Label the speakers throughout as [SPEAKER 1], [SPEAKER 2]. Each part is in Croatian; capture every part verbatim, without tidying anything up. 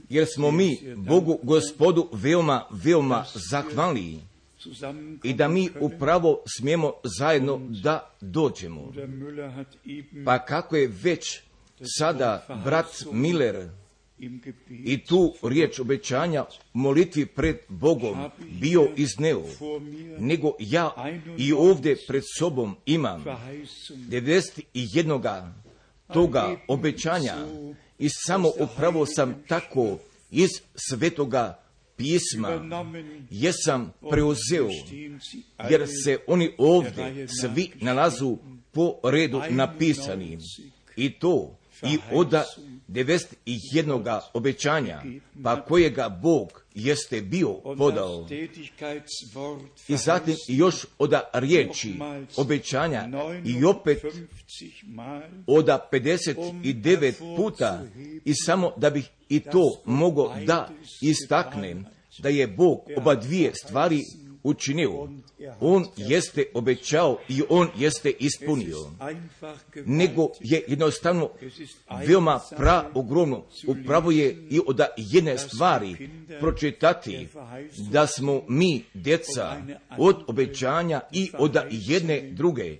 [SPEAKER 1] jer smo mi Bogu Gospodu veoma, veoma zahvalni i da mi upravo smijemo zajedno da dođemo. Pa kako je već sada brat Miller i tu riječ obećanja molitvi pred Bogom bio izneo, nego ja i ovdje pred sobom imam devedeset jednog toga obećanja i samo upravo sam tako iz Svetoga pisma jesam preuzeo, jer se oni ovdje svi nalazu po redu napisani i to i od devedeset jednog obećanja, pa kojega Bog jeste bio podao. I zatim još od riječi obećanja i opet od pedeset devet puta, i samo da bih i to mogao da istaknem, da je Bog oba dvije stvari učinio. On jeste obećao i on jeste ispunio. Nego je jednostavno veoma pra ogromno. Upravo je i od jedne stvari pročitati da smo mi djeca od obećanja i od jedne druge.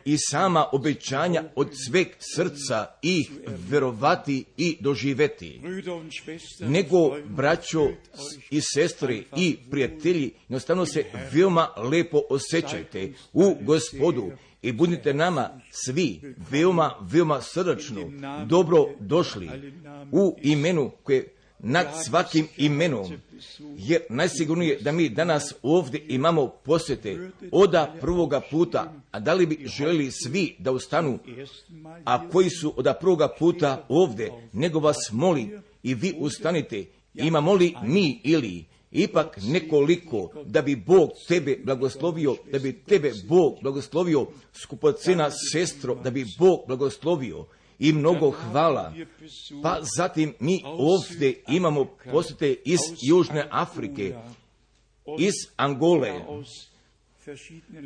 [SPEAKER 1] I sama obećanja od sveg srca ih verovati i doživeti. Nego, braćo i sestre i prijatelji, jednostavno se veoma lepo osjećajte u Gospodu i budite nama svi veoma, veoma srdačno dobro došli u imenu koje nad svakim imenom, jer najsigurnije da mi danas ovdje imamo posjete od prvoga puta, a da li bi željeli svi da ustanu, a koji su od prvoga puta ovdje, nego vas molim i vi ustanite, imamo li mi ili ipak nekoliko da bi Bog tebe blagoslovio, da bi tebe Bog blagoslovio, skupocena sestro, da bi Bog blagoslovio i mnogo hvala. Pa zatim mi ovdje imamo posjete iz Južne Afrike, iz Angole,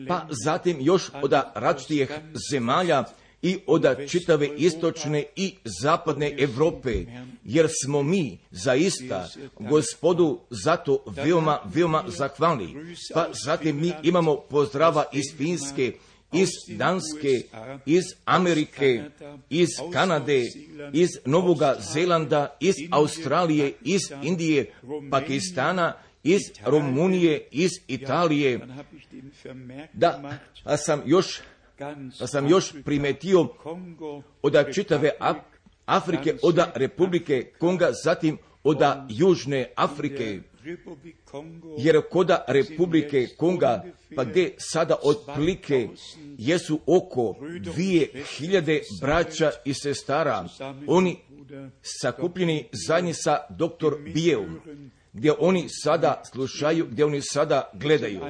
[SPEAKER 1] pa zatim još od različitih zemalja i od čitave istočne i zapadne Europe, jer smo mi zaista Gospodu zato veoma, veoma zahvalni. Pa zatim mi imamo pozdrava iz Finske, iz Danske, iz Amerike, iz Kanade, iz Novoga Zelanda, iz Australije, iz Indije, Pakistana, iz Rumunije, iz Italije. Da, pa sam još Pa sam još primetio od čitave Afrike, od Republike Konga, zatim od Južne Afrike, jer kod Republike Konga, pa gdje sada otprilike jesu oko dvije hiljade braća i sestara, oni sakupljeni zajedno sa doktor Bijevom, gdje oni sada slušaju, gdje oni sada gledaju.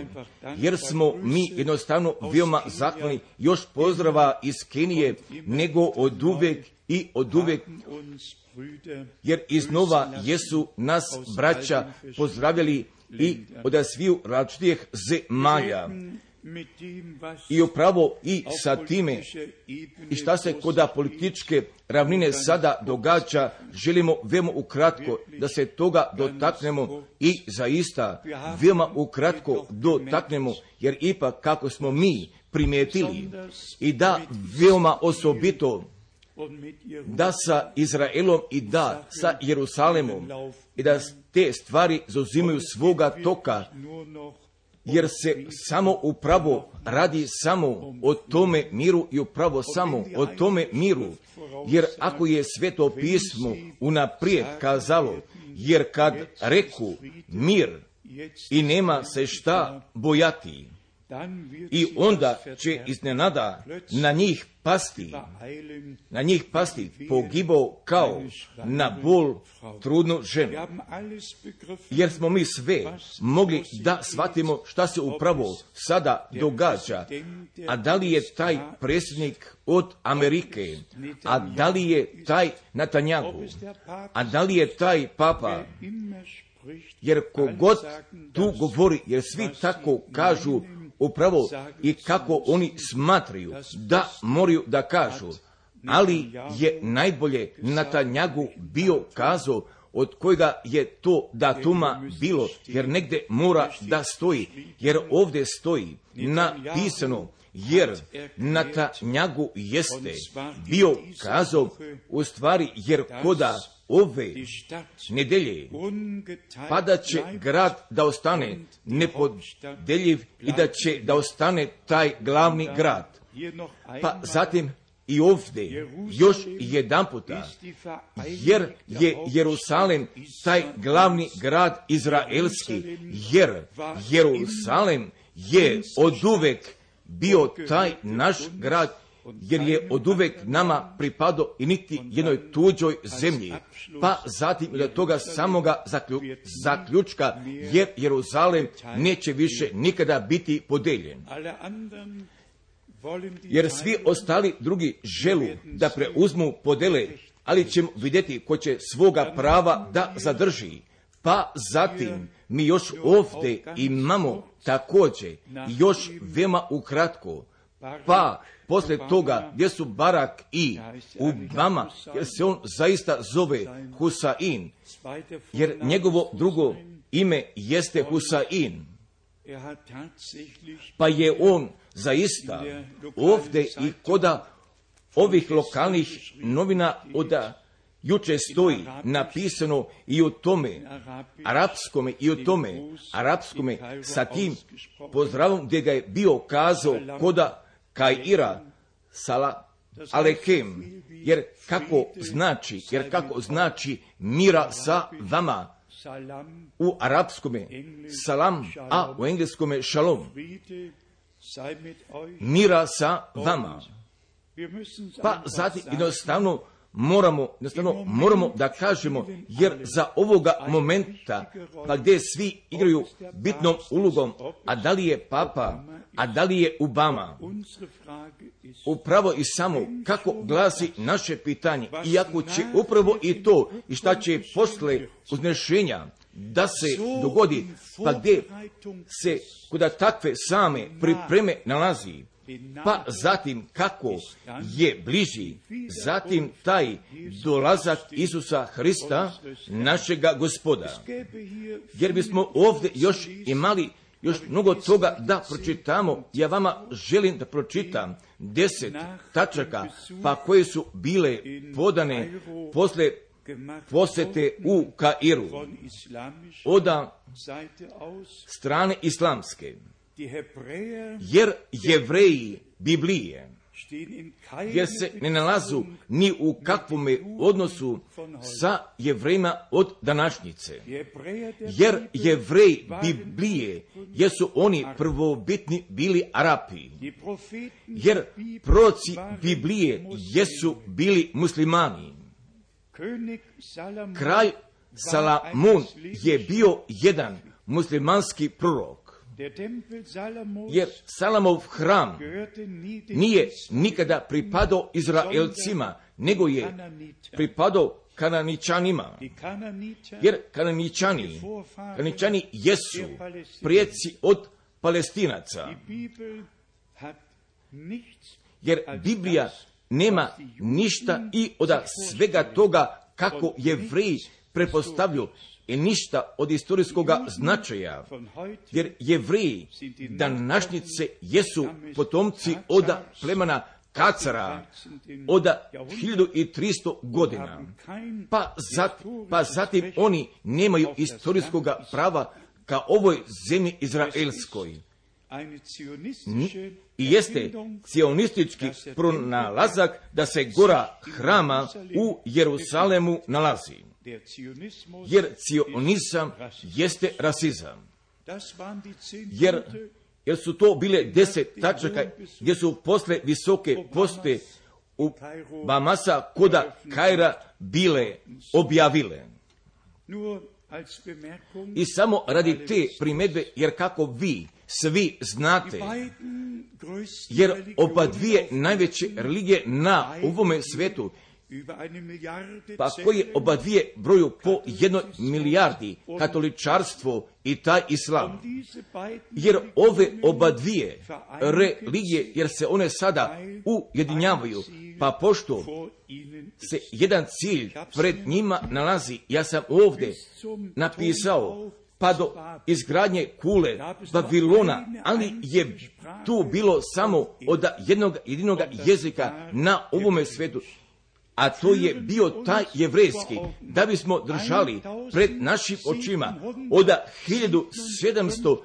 [SPEAKER 1] Jer smo mi jednostavno veoma zahvalni, još pozdrava iz Kenije, nego od uvek i od uvek, jer iznova jesu nas braća pozdravljali i od sviju različitih zemalja. I upravo i sa time, i šta se kod političke ravnine sada događa, želimo veoma ukratko da se toga dotaknemo i zaista veoma ukratko dotaknemo, jer ipak kako smo mi primijetili i da veoma osobito da sa Izraelom i da sa Jerusalemom i da te stvari zauzimaju svoga toka, jer se samo upravo radi samo o tome miru i upravo samo o tome miru. Jer ako je Sveto pismo unaprijed kazalo, jer kad reku mir i nema se šta bojati, i onda će iznenada na njih pasti, na njih pasti pogibao kao na bol trudnu ženu. Jer smo mi sve mogli da shvatimo šta se upravo sada događa. A da li je taj predsjednik od Amerike, a da li je taj Netanjahu, a da li je taj papa, jer kogod tu govori, jer svi tako kažu upravo i kako oni smatraju da moraju da kažu, ali je najbolje Netanjahu bio kazao od kojega je to datuma bilo, jer negdje mora da stoji, jer ovdje stoji napisano, jer Netanjahu jeste bio kazao, u stvari, jer koda ove nedelje pa će grad da ostane nepodeljiv i da će da ostane taj glavni grad. Pa zatim i ovdje još jedan puta, jer je Jerusalem taj glavni grad izraelski, jer Jerusalem je oduvek bio taj naš grad, jer je oduvek nama pripadao i niti jednoj tuđoj zemlji. Pa zatim do toga samoga zaklju, zaključka, jer Jeruzalem neće više nikada biti podeljen. Jer svi ostali drugi želu da preuzmu podele, ali ćemo vidjeti ko će svoga prava da zadrži. Pa zatim mi još ovdje imamo također još veoma ukratko, pa poslije toga gdje su Barak i Obama, jer se on zaista zove Husain, jer njegovo drugo ime jeste Husain. Pa je on zaista ovdje i koda ovih lokalnih novina od juče stoji napisano i o tome arapskome i o tome arapskome sa tim pozdravom gdje ga je bio kazao koda Kaira sala alekem, jer kako znači, jer kako znači mira sa vama u arapskome salam, a u engleskome shalom, mira sa vama. Pa zatim jednostavno moramo, jednostavno moramo da kažemo, jer za ovoga momenta, pa gdje svi igraju bitnom ulogom, a da li je Papa, a da li je Obama, upravo i samo kako glasi naše pitanje, iako će upravo i to i šta će posle uznešenja da se dogodi, pa gdje se kuda takve same pripreme nalazi, pa zatim kako je bliži, zatim taj dolazak Isusa Hrista, našega Gospoda. Jer bismo ovdje još imali još mnogo toga da pročitamo. Ja vama želim da pročitam deset tačaka, pa koje su bile podane posle posjete u Kairu od strane islamske. Jer Jevreji Biblije, jer se ne nalazu ni u kakvome odnosu sa Jevrejima od današnjice. Jer Jevreji Biblije, jer su oni prvobitni bili Arapi. Jer proroci Biblije jesu bili muslimani. Kralj Salamun je bio jedan muslimanski prorok. Jer Salamov hram nije nikada pripadao Izraelcima, nego je pripadao Kananičanima. Jer Kananičani, Kananičani jesu prijeci od Palestinaca. Jer Biblija nema ništa i od svega toga kako Jevreji prepostavljaju i ništa od istorijskog značaja, jer Jevreji današnjice jesu potomci od plemena Kacara od hiljadu tristo godina. Pa, zat, pa zatim oni nemaju istorijskog prava ka ovoj zemlji izraelskoj. I jeste cionistički pronalazak da se gora hrama u Jerusalemu nalazi. Jer cionizam jeste rasizam. Jer, jer su to bile deset tačaka gdje su posle visoke poste u Bamasa koda Kaira bile objavile. I samo radi te primjedbe, jer kako vi svi znate, jer oba dvije najveće religije na ovome svetu, Pa koje oba dvije broju po jednoj milijardi, katoličarstvo i taj islam. Jer ove oba dvije religije, jer se one sada ujedinjavaju, pa pošto se jedan cilj pred njima nalazi, ja sam ovdje napisao, pa do izgradnje kule Babilona, ali je tu bilo samo od jednog jedinog jezika na ovome svijetu, a to je bio taj jevrejski, da bismo držali pred našim očima od hiljadu sedamsto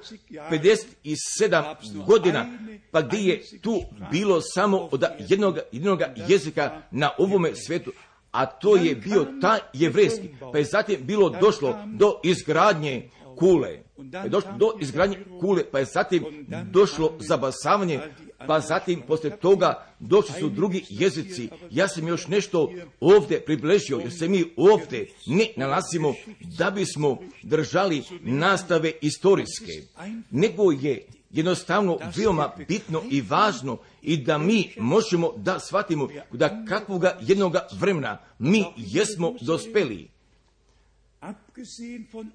[SPEAKER 1] pedeset sedam godina, pa gdje je tu bilo samo od jednog jedinog jezika na ovome svijetu, a to je bio taj jevrejski, pa je zatim bilo došlo do izgradnje kule, pa je došlo do izgradnje kule, pa je zatim došlo zabasavanje, pa zatim poslije toga došli su drugi jezici. Ja sam još nešto ovdje približio, jer se mi ovdje ne nalazimo da bismo držali nastave istorijske, nego je jednostavno veoma bitno i važno i da mi možemo da shvatimo da kakvoga jednoga vremena mi jesmo dospeli.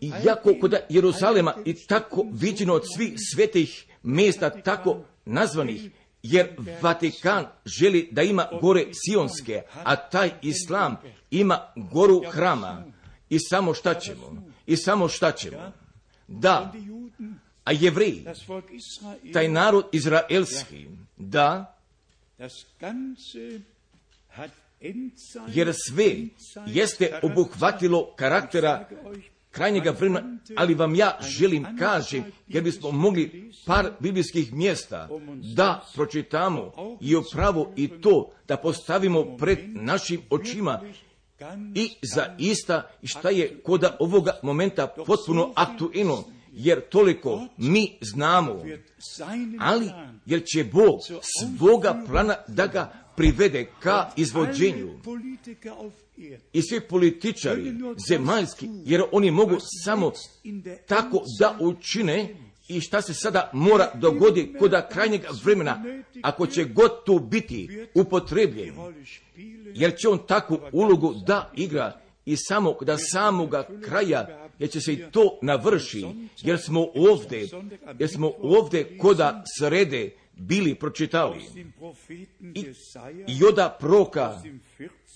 [SPEAKER 1] Iako kod Jeruzalema i tako viđeno od svih svetih mjesta tako nazvanih, jer Vatikan želi da ima gore Sionske, a taj islam ima goru hrama. I samo šta ćemo? I samo šta ćemo? Da, a Jevreji, taj narod izraelski, da, jer sve jeste obuhvatilo karaktera krajnjega vremena, ali vam ja želim kažem, jer bismo mogli par biblijskih mjesta da pročitamo i upravo i to da postavimo pred našim očima i zaista šta je kod ovoga momenta potpuno aktuelno, jer toliko mi znamo, ali jer će Bog svoga plana da ga privede ka izvođenju. I svi političari zemaljski, jer oni mogu samo tako da učine, i šta se sada mora dogoditi kod krajnjeg vremena, ako će god tu biti upotrebljen, jer će on takvu ulogu da igra i samo kod samoga kraja, jer će se i to navrši, jer smo ovdje, jer smo ovdje koda srede bili pročitali. I, i oda proka,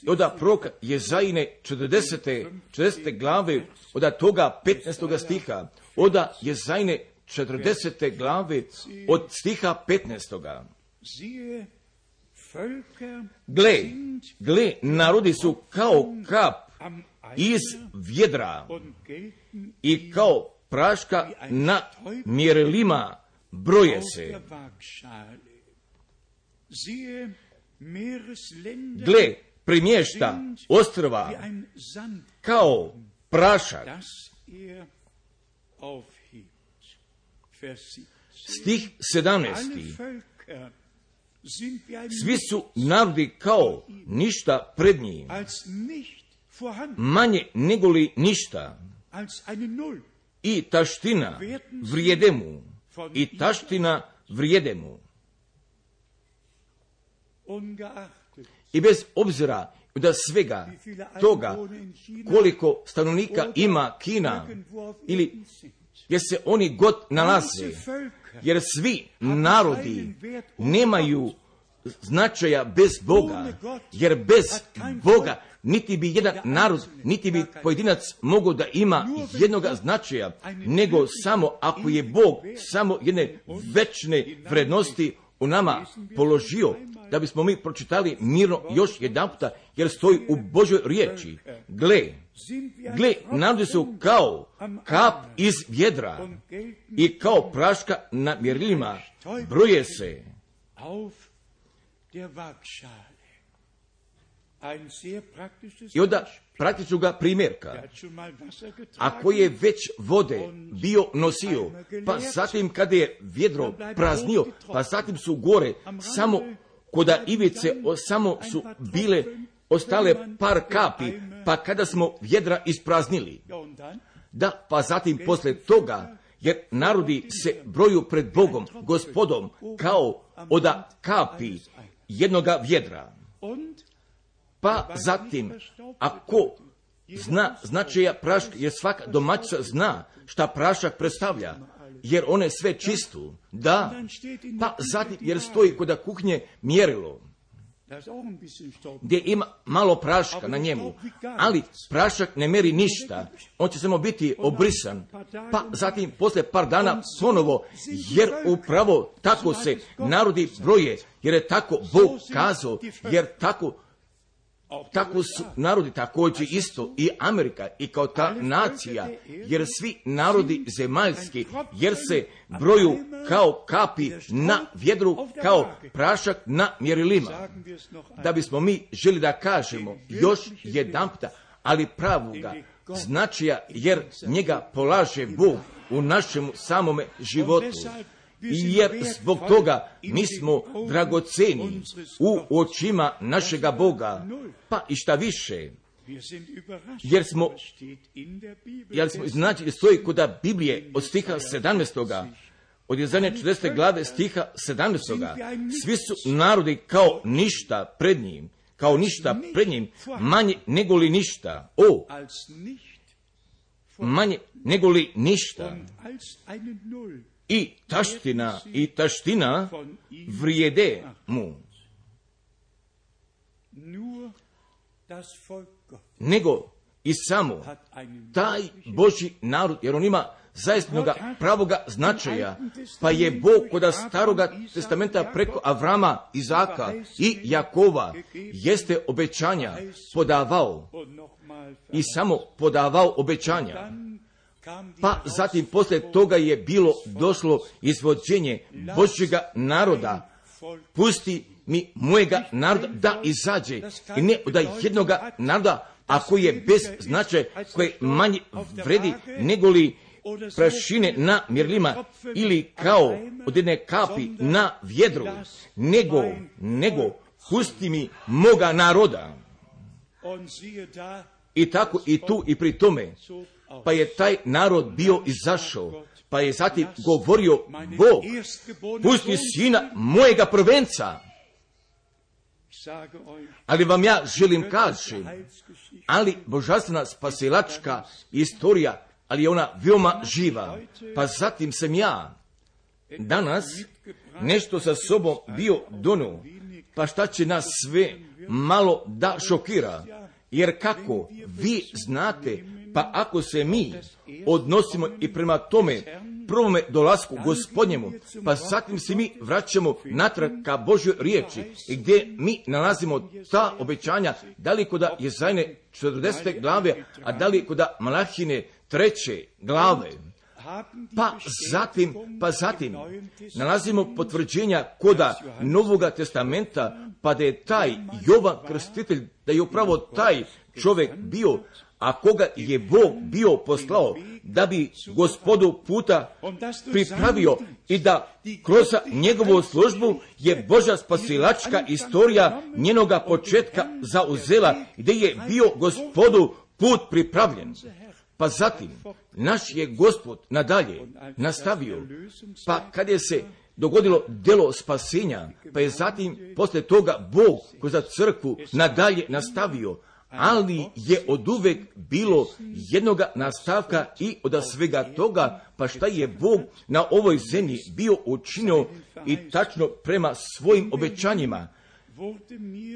[SPEAKER 1] oda proka Jezajine četrdesete, četrdesete glave, oda toga petnaestoga stiha, oda Jezajine četrdesete glave od stiha petnaestoga. Gle, gle, narodi su kao kap iz vjedra i kao praška na mjerilima broje se. Gle, primješta ostrva kao prašak. Stih sedamnaesti. Svi su narodi kao ništa pred njim, manje negoli ništa, i taština vrijede mu, i taština vrijede mu. I bez obzira da svega toga koliko stanovnika ima Kina, ili gdje se oni god nalaze, jer svi narodi nemaju značaja bez Boga, jer bez Boga niti bi jedan narod, niti bi pojedinac mogao da ima jednoga značaja, nego samo ako je Bog samo jedne večne vrednosti u nama položio, da bismo mi pročitali mirno još jedan puta, jer stoji u Božoj riječi. Gle, gle, narodi su kao kap iz vjedra i kao praška na mjerilima broje se. I onda praktičnoga primjerka. Ako je već vode bio nosio, pa zatim kada je vjedro praznio, pa zatim su gore samo koda ivice samo su bile ostale par kapi, pa kada smo vjedra ispraznili. Da, pa zatim posle toga, jer narodi se broju pred Bogom, Gospodom, kao oda kapi jednoga vjedra. Pa zatim, ako zna značaja praška, jer svaka domaćica zna šta prašak predstavlja, jer one sve čistu, da, pa zatim, jer stoji kod kuhnje mjerilo, gdje ima malo praška na njemu, ali prašak ne meri ništa, on će samo biti obrisan, pa zatim poslije par dana ponovo, jer upravo tako se narodi broje, jer je tako Bog kazao, jer tako Tako su narodi također isto i Amerika i kao ta nacija, jer svi narodi zemaljski, jer se broju kao kapi na vjedru, kao prašak na mjerilima. Da bismo mi želi da kažemo još jedanputa, ali pravoga značaja, jer njega polaže Bog u našem samome životu. I jer zbog toga mi smo dragoceni u očima našega Boga, pa i šta više, jer smo, jer smo znači, stoji kod Biblije od stiha sedamnaestoga, od Jezanje četrdesete glave stiha sedamnaestoga, svi su narodi kao ništa pred njim, kao ništa pred njim, manje nego li ništa, o, manje nego li ništa. I taština, i taština vrijede mu. Nego i samo taj Božji narod, jer on ima zaistinoga pravoga značaja, pa je Bog kod staroga testamenta preko Avrama, Izaka i Jakova jeste obećanja podavao i samo podavao obećanja. Pa zatim poslije toga je bilo došlo izvođenje Božjega naroda. Pusti mi mojega naroda da izađe i ne od jednoga naroda, a koji je bez značaja, koji manje vredi nego li prašine na mjerilima ili kao od jedne kapi na vjedru, nego, nego pusti mi moga naroda. I tako i tu i pri tome, pa je taj narod bio izašao, pa je zatim govorio Bog, pusti sina mojega prvenca. Ali vam ja želim kažem, ali božanstvena spasilačka istorija, ali je ona veoma živa, pa zatim sam ja danas nešto sa sobom bio donio, pa šta će nas sve malo da šokira, jer kako vi znate, pa ako se mi odnosimo i prema tome prvome dolasku Gospodnjemu, pa zatim se mi vraćamo natrag ka Božjoj riječi i gdje mi nalazimo ta obećanja, da li kod Jezajne četrdesete glave, a da li kod Malahine treće glave. Pa zatim, pa zatim nalazimo potvrđenja koda Novoga testamenta, pa da je taj Jovan Krstitelj, da je upravo taj čovjek bio, a koga je Bog bio poslao da bi Gospodu puta pripravio i da kroz njegovu službu je Božja spasilačka istorija njenoga početka zauzela, gdje je bio Gospodu put pripravljen. Pa zatim, naš je Gospod nadalje nastavio, pa kad je se dogodilo djelo spasenja, pa je zatim poslije toga Bog kroz crkvu nadalje nastavio, ali je oduvek bilo jednoga nastavka i od svega toga, pa šta je Bog na ovoj zemlji bio učinio i tačno prema svojim obećanjima,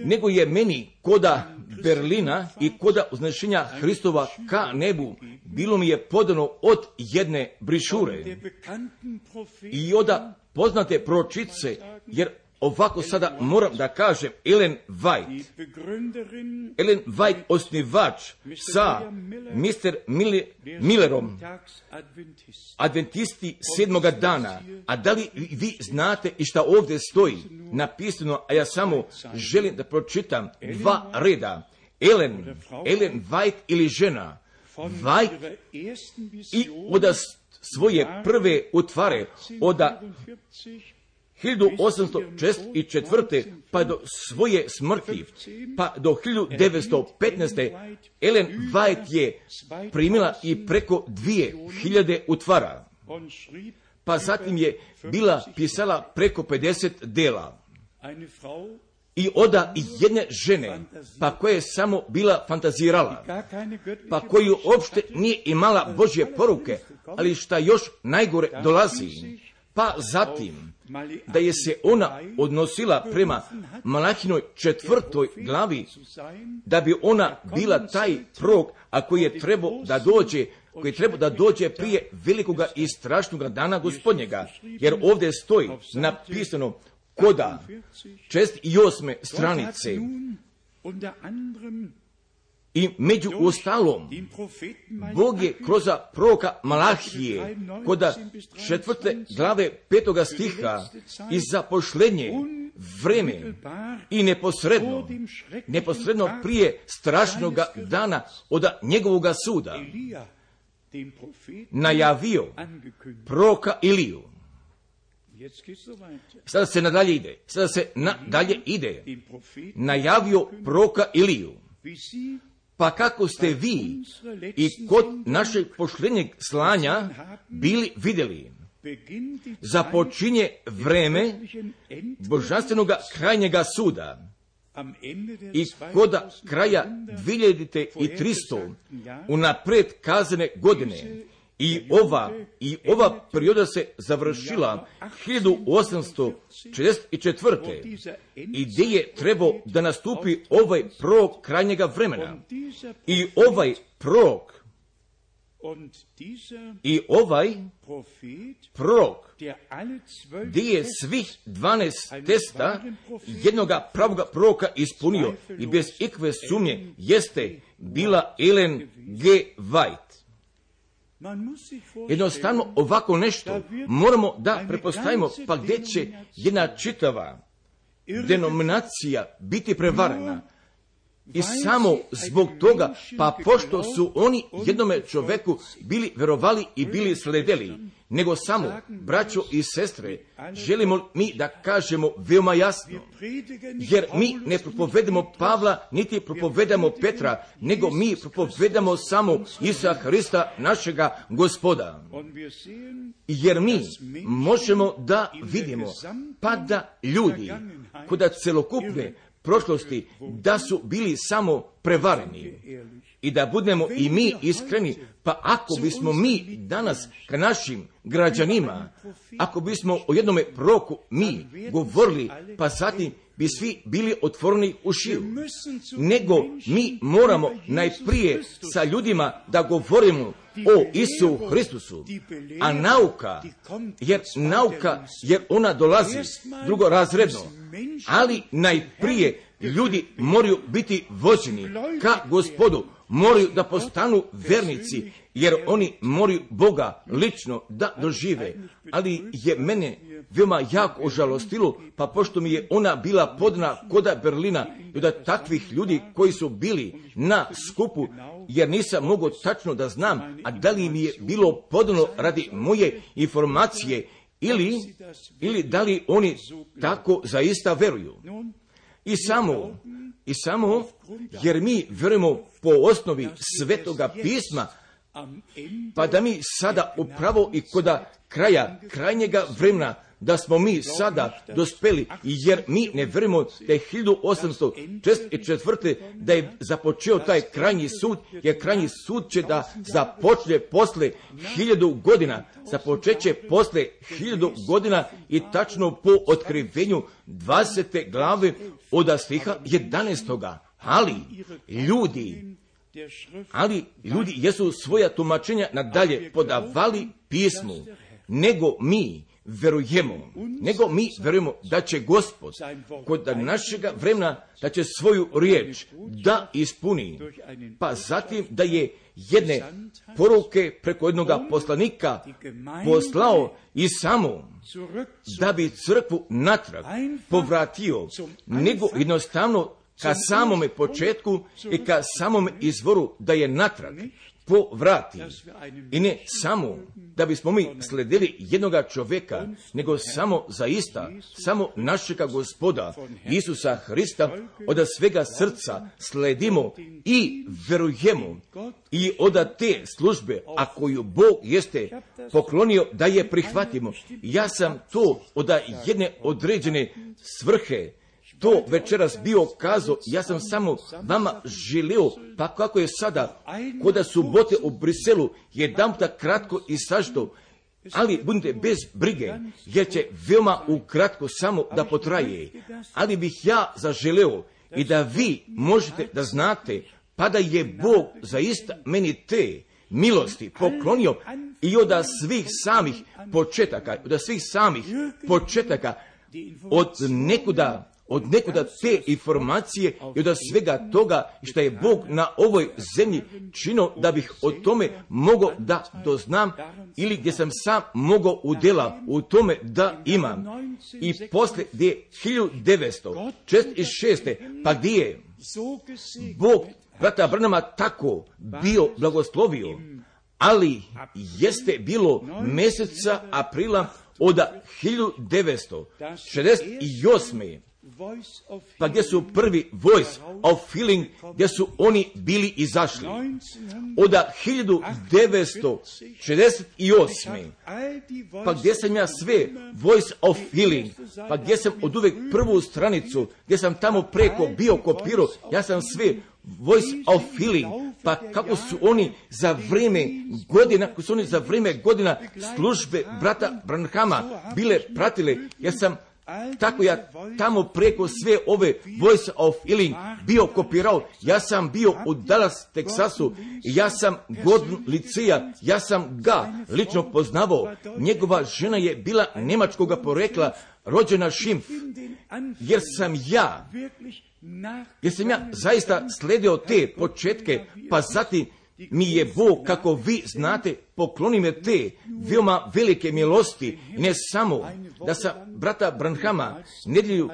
[SPEAKER 1] nego je meni koda Berlina i koda uznešenja Hristova ka nebu bilo mi je podano od jedne brišure i od poznate proročice, jer ovako sada moram da kažem, Ellen White, Ellen White osnivač sa mister Millerom, adventisti sedmoga dana, a da li vi znate i šta ovdje stoji napisano, a ja samo želim da pročitam dva reda. Ellen, Ellen White ili žena, White i od svoje prve utvare, od hiljadu osamsto četrdeset četvrte pa do svoje smrti, pa do hiljadu devetsto petnaeste. Ellen White je primila i preko dvije hiljade utvara, pa zatim je bila pisala preko pedeset dela. i oda jedne žene, pa koja je samo bila fantazirala, pa koju uopšte nije imala Božje poruke, ali šta još najgore dolazi, pa zatim da je se ona odnosila prema Malahinoj četvrtoj glavi, da bi ona bila taj prorok, a koji je trebao da dođe, koji je trebao da dođe prije velikoga i strašnoga dana Gospodnjega, jer ovdje stoji napisano koda šezdeset osme stranice. I među ostalom, Bog je kroz proroka Malahije, koda četvrte glave petoga stiha, i zapošljenje vreme i neposredno, neposredno prije strašnoga dana od njegovoga suda, najavio proroka Iliju. Sada se nadalje ide, sada se nadalje ide, najavio proroka Iliju. Pa kako ste vi i kod našeg posljednjeg slanja bili vidjeli, započinje vreme božanstvenoga krajnjega suda i koda kraja dvije hiljade tristo unapred kazane godine. I ova, i ova perioda se završila hiljadu osamsto četrdeset četvrte. i gdje je trebao da nastupi ovaj prorok krajnjega vremena. I ovaj prorok i ovaj prorok gdje je svih dvanaest testa jednoga pravoga proroka ispunio i bez ikve sumnje jeste bila Ellen G. White. Jednostavno ovako nešto moramo da prepostavimo, pa gdje će jedna čitava denominacija biti prevarena. I samo zbog toga, pa pošto su oni jednome čoveku bili verovali i bili sledeli, nego samo, braćo i sestre, želimo mi da kažemo veoma jasno, jer mi ne propovedamo Pavla, niti propovedamo Petra, nego mi propovedamo samo Isusa Hrista, našega Gospoda. Jer mi možemo da vidimo, pa da ljudi, koda celokupne prošlosti, da su bili samo prevareni. I da budemo i mi iskreni, pa ako bismo mi danas ka našim građanima, ako bismo o jednome proroku mi govorili, pa zatim bi svi bili otvoreni ušiju. Nego mi moramo najprije sa ljudima da govorimo o Isu Hristusu, a nauka, jer nauka, jer ona dolazi drugorazredno, ali najprije ljudi moraju biti vođeni ka Gospodu, moraju da postanu vernici, jer oni moraju Boga lično da dožive. Ali je mene veoma jako ožalostilo, pa pošto mi je ona bila podana koda Berlina i od takvih ljudi koji su bili na skupu, jer nisam mogao tačno da znam, a da li mi je bilo podano radi moje informacije ili, ili da li oni tako zaista veruju. I samo, i samo, jer mi verujemo po osnovi Svetoga pisma, pa da mi sada upravo i koda kraja, krajnjega vremena, da smo mi sada dospeli, jer mi ne verujemo da je hiljadu osamsto četrdeset četvrte da je započeo taj krajnji sud, jer krajnji sud će da započne posle hiljadu godina, započeće posle hiljadu godina i tačno po otkrivenju dvadesete glave od stiha jedanaestoga. Ali ljudi, ali ljudi jesu svoja tumačenja nadalje podavali pismu, nego mi verujemo, nego mi verujemo da će Gospod kod našega vremena da će svoju riječ da ispuni, pa zatim da je jedne poruke preko jednoga poslanika poslao i samo da bi crkvu natrag povratio, nego jednostavno ka samome početku i ka samome izvoru da je natrag povrati. I ne samo da bismo mi sledili jednoga čovjeka, nego samo zaista, samo našega Gospoda Isusa Hrista od svega srca sledimo i verujemo i od te službe, a koju Bog jeste poklonio da je prihvatimo. Ja sam to od jedne određene svrhe to večeras bio kazao, ja sam samo vama želio, pa kako je sada, koda subote u Briselu, jedanputa kratko i sažito, ali budite bez brige, jer će veoma ukratko samo da potraje. Ali bih ja zaželeo i da vi možete da znate, pa da je Bog zaista meni te milosti poklonio i od svih samih početaka, od svih samih početaka, od nekuda, od nekuda te informacije i od svega toga što je Bog na ovoj zemlji činio da bih o tome mogao da doznam ili gdje sam sam mogao udjela u tome da imam. I posle gdje hiljadu devetsto četrdeset šeste pa gdje je Bog brata Branhama tako bio blagoslovio, ali jeste bilo mjeseca aprila od hiljadu devetsto šezdeset osme pa gdje su prvi Voice of Feeling, gdje su oni bili izašli. Od hiljadu devetsto šezdeset osme pa gdje sam ja sve Voice of Feeling, pa gdje sam od uvek prvu stranicu, gdje sam tamo preko bio kopirao, ja sam sve Voice of Feeling, pa kako su oni za vrijeme godina, kako su oni za vrijeme godina službe brata Branhama bile pratile, ja sam tako ja tamo preko sve ove Voice of Healing bio kopirao, ja sam bio u Dallas, Teksasu, ja sam Gordon Licija, ja sam ga lično poznavao, njegova žena je bila njemačkoga porekla, rođena Schimpf, jer sam ja, jer sam ja zaista sledio te početke, pa zatim mi je Bog, kako vi znate, pokloni me te veoma velike milosti, ne samo da sam brata Branhama nedjelju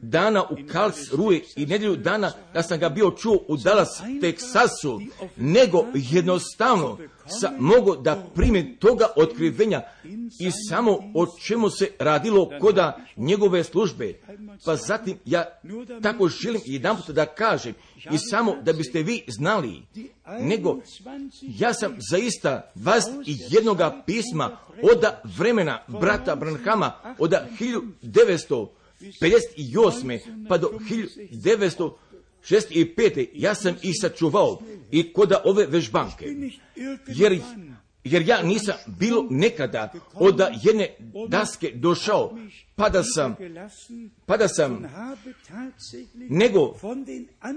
[SPEAKER 1] dana u Karlsruhe i nedjelju dana da sam ga bio čuo u Dallas, Teksasu, nego jednostavno sam mogao da primim toga otkrivenja i samo o čemu se radilo koda njegove službe. Pa zatim ja tako želim jedanput da kažem i samo da biste vi znali, nego ja sam zaista vas i jednoga pisma od vremena brata Branhama od hiljadu devetsto pedeset osme pa do hiljadu devetsto šezdeset pete ja sam ih sačuvao i koda ove vežbanke, jer jer ja nisam bilo nekada od jedne daske došao, pa da sam, pa da sam, nego,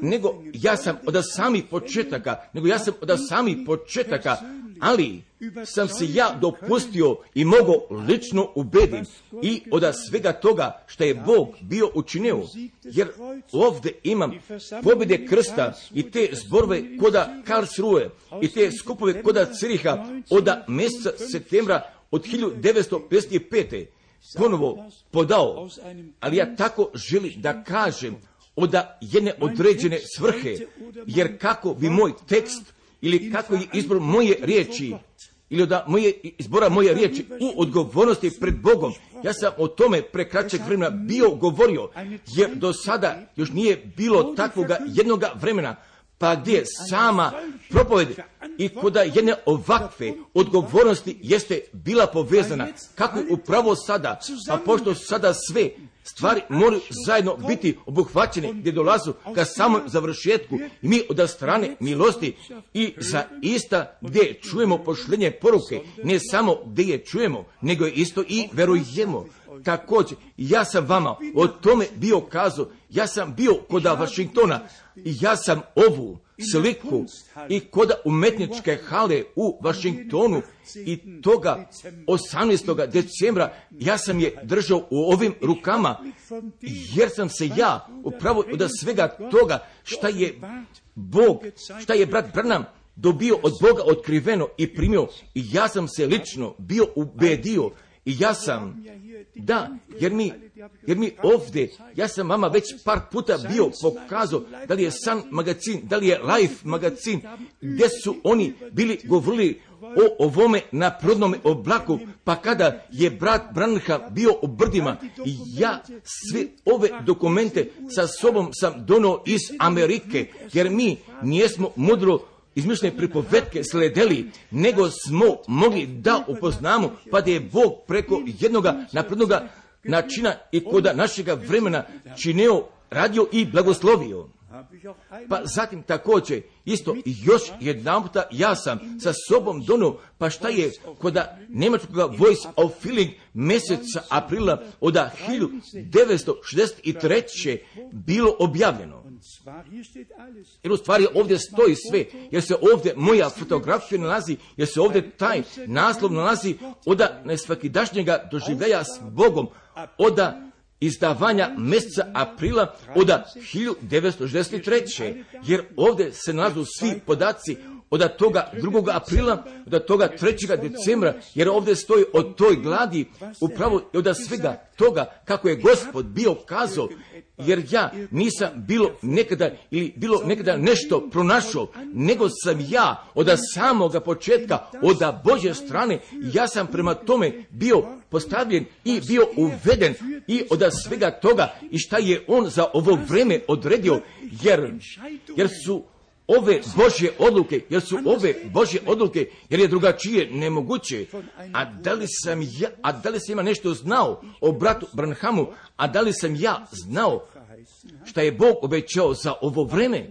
[SPEAKER 1] nego ja sam od samih početaka, nego ja sam od samih početaka, ali sam se ja dopustio i mogao lično ubedim i od svega toga što je Bog bio učinio, jer ovdje imam pobjede krsta i te zborove koda Karlsruhe i te skupove koda Ciriha od mjeseca septembra od hiljadu devetsto pedeset pete ponovo podao, ali ja tako želim da kažem od jedne određene svrhe, jer kako bi moj tekst ili kako je izbor moje riječi ili od moje izbora moje riječi u odgovornosti pred Bogom, ja sam o tome pre kraćeg vremena bio govorio, jer do sada još nije bilo takvoga jednoga vremena, pa gdje sama propoved i koda jedne ovakve odgovornosti jeste bila povezana, kako upravo sada, pa pošto sada sve stvari moraju zajedno biti obuhvaćene gdje dolazu ka samom završetku i mi od strane milosti i za ista gdje čujemo pošlenje poruke, ne samo gdje je čujemo, nego je isto i verujemo. Također, ja sam vama o tome bio kazao, ja sam bio koda Vašingtona i ja sam ovu sliku i koda umetničke hale u Vašingtonu i toga osamnaestog decembra ja sam je držao u ovim rukama, jer sam se ja upravo od svega toga šta je Bog, šta je brat Branham dobio od Boga otkriveno i primio, i ja sam se lično bio ubedio i ja sam, da, jer mi, jer mi ovdje, ja sam vama već par puta bio pokazao da li je Sun magazin, da li je Life magazin, gdje su oni bili govorili o ovome na prodnome oblaku, pa kada je brat Branham bio u brdima, i ja sve ove dokumente sa sobom sam donio iz Amerike, jer mi nijesmo mudro izmišljene pripovetke sledeli, nego smo mogli da upoznamo, pa da je Bog preko jednoga naprednoga načina i koda našega vremena činio, radio i blagoslovio. Pa zatim također, isto još jedan puta ja sam sa sobom donio, pa šta je koda njemačkog Voice of Feeling mjeseca aprila od hiljadu devetsto šezdeset treće bilo objavljeno. Jer u stvari ovdje stoji sve, jer se ovdje moja fotografija nalazi, jer se ovdje taj naslov nalazi od nesvakidašnjega doživljaja s Bogom, od izdavanja mjeseca aprila od hiljadu devetsto šezdeset treće. Jer ovdje se nalazu svi podaci od toga drugog aprila, od toga trećeg decembra, jer ovdje stoji od toj gladi upravo od svega toga kako je Gospod bio kazao, jer ja nisam bilo nekada ili bilo nekada nešto pronašao, nego sam ja od samoga početka, od Božje strane, ja sam prema tome bio postavljen i bio uveden i od svega toga i šta je on za ovo vreme odredio, jer, jer su ove Božje odluke, jer su ove Božje odluke, jer je drugačije nemoguće. A da li sam ja, a da li sam ja nešto znao o bratu Branhamu, a da li sam ja znao šta je Bog obećao za ovo vreme,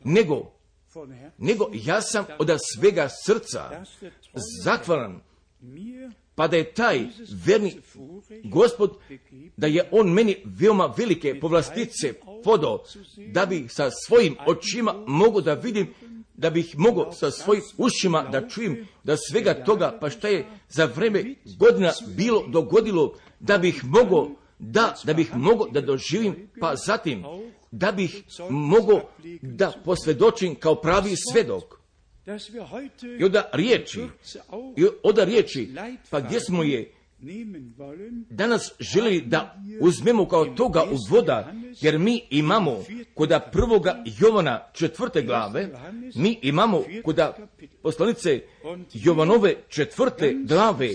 [SPEAKER 1] nego, nego ja sam od svega srca zahvalan, pa da je taj verni Gospod, da je on meni veoma velike povlastice podao, da bih sa svojim očima mogu da vidim, da bih mogao sa svojim ušima da čujem, da svega toga, pa šta je za vreme godina bilo dogodilo, da bih mogao da, da bih mogao da doživim, pa zatim da bih mogao da posvjedočim kao pravi svedok. I od riječi, i od riječi, pa gdje smo je danas želeli da uzmemo kao toga uvoda, jer mi imamo kod prvoga Jovana četvrte glave, mi imamo kod poslanice Jovanove četvrte glave,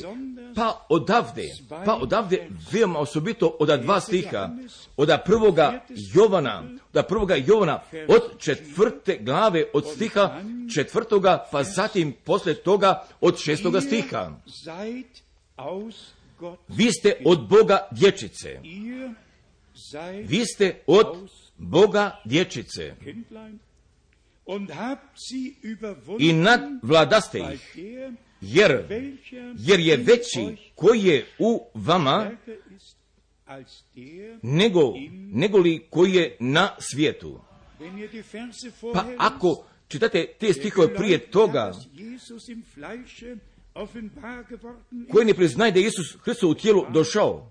[SPEAKER 1] pa odavde, pa odavde veoma osobito od dva stiha, od prvoga Jovana, od prvoga Jovana, od četvrte glave, od stiha četvrtoga, pa zatim posle toga od šestoga stiha. Vi ste od Boga dječice. Vi ste od Boga dječice. I nadvladaste ih, jer, jer je veći koji je u vama nego, nego li koji je na svijetu. Pa ako čitate te stihove prije toga, koji ne priznaje da je Isus Hristos u tijelu došao,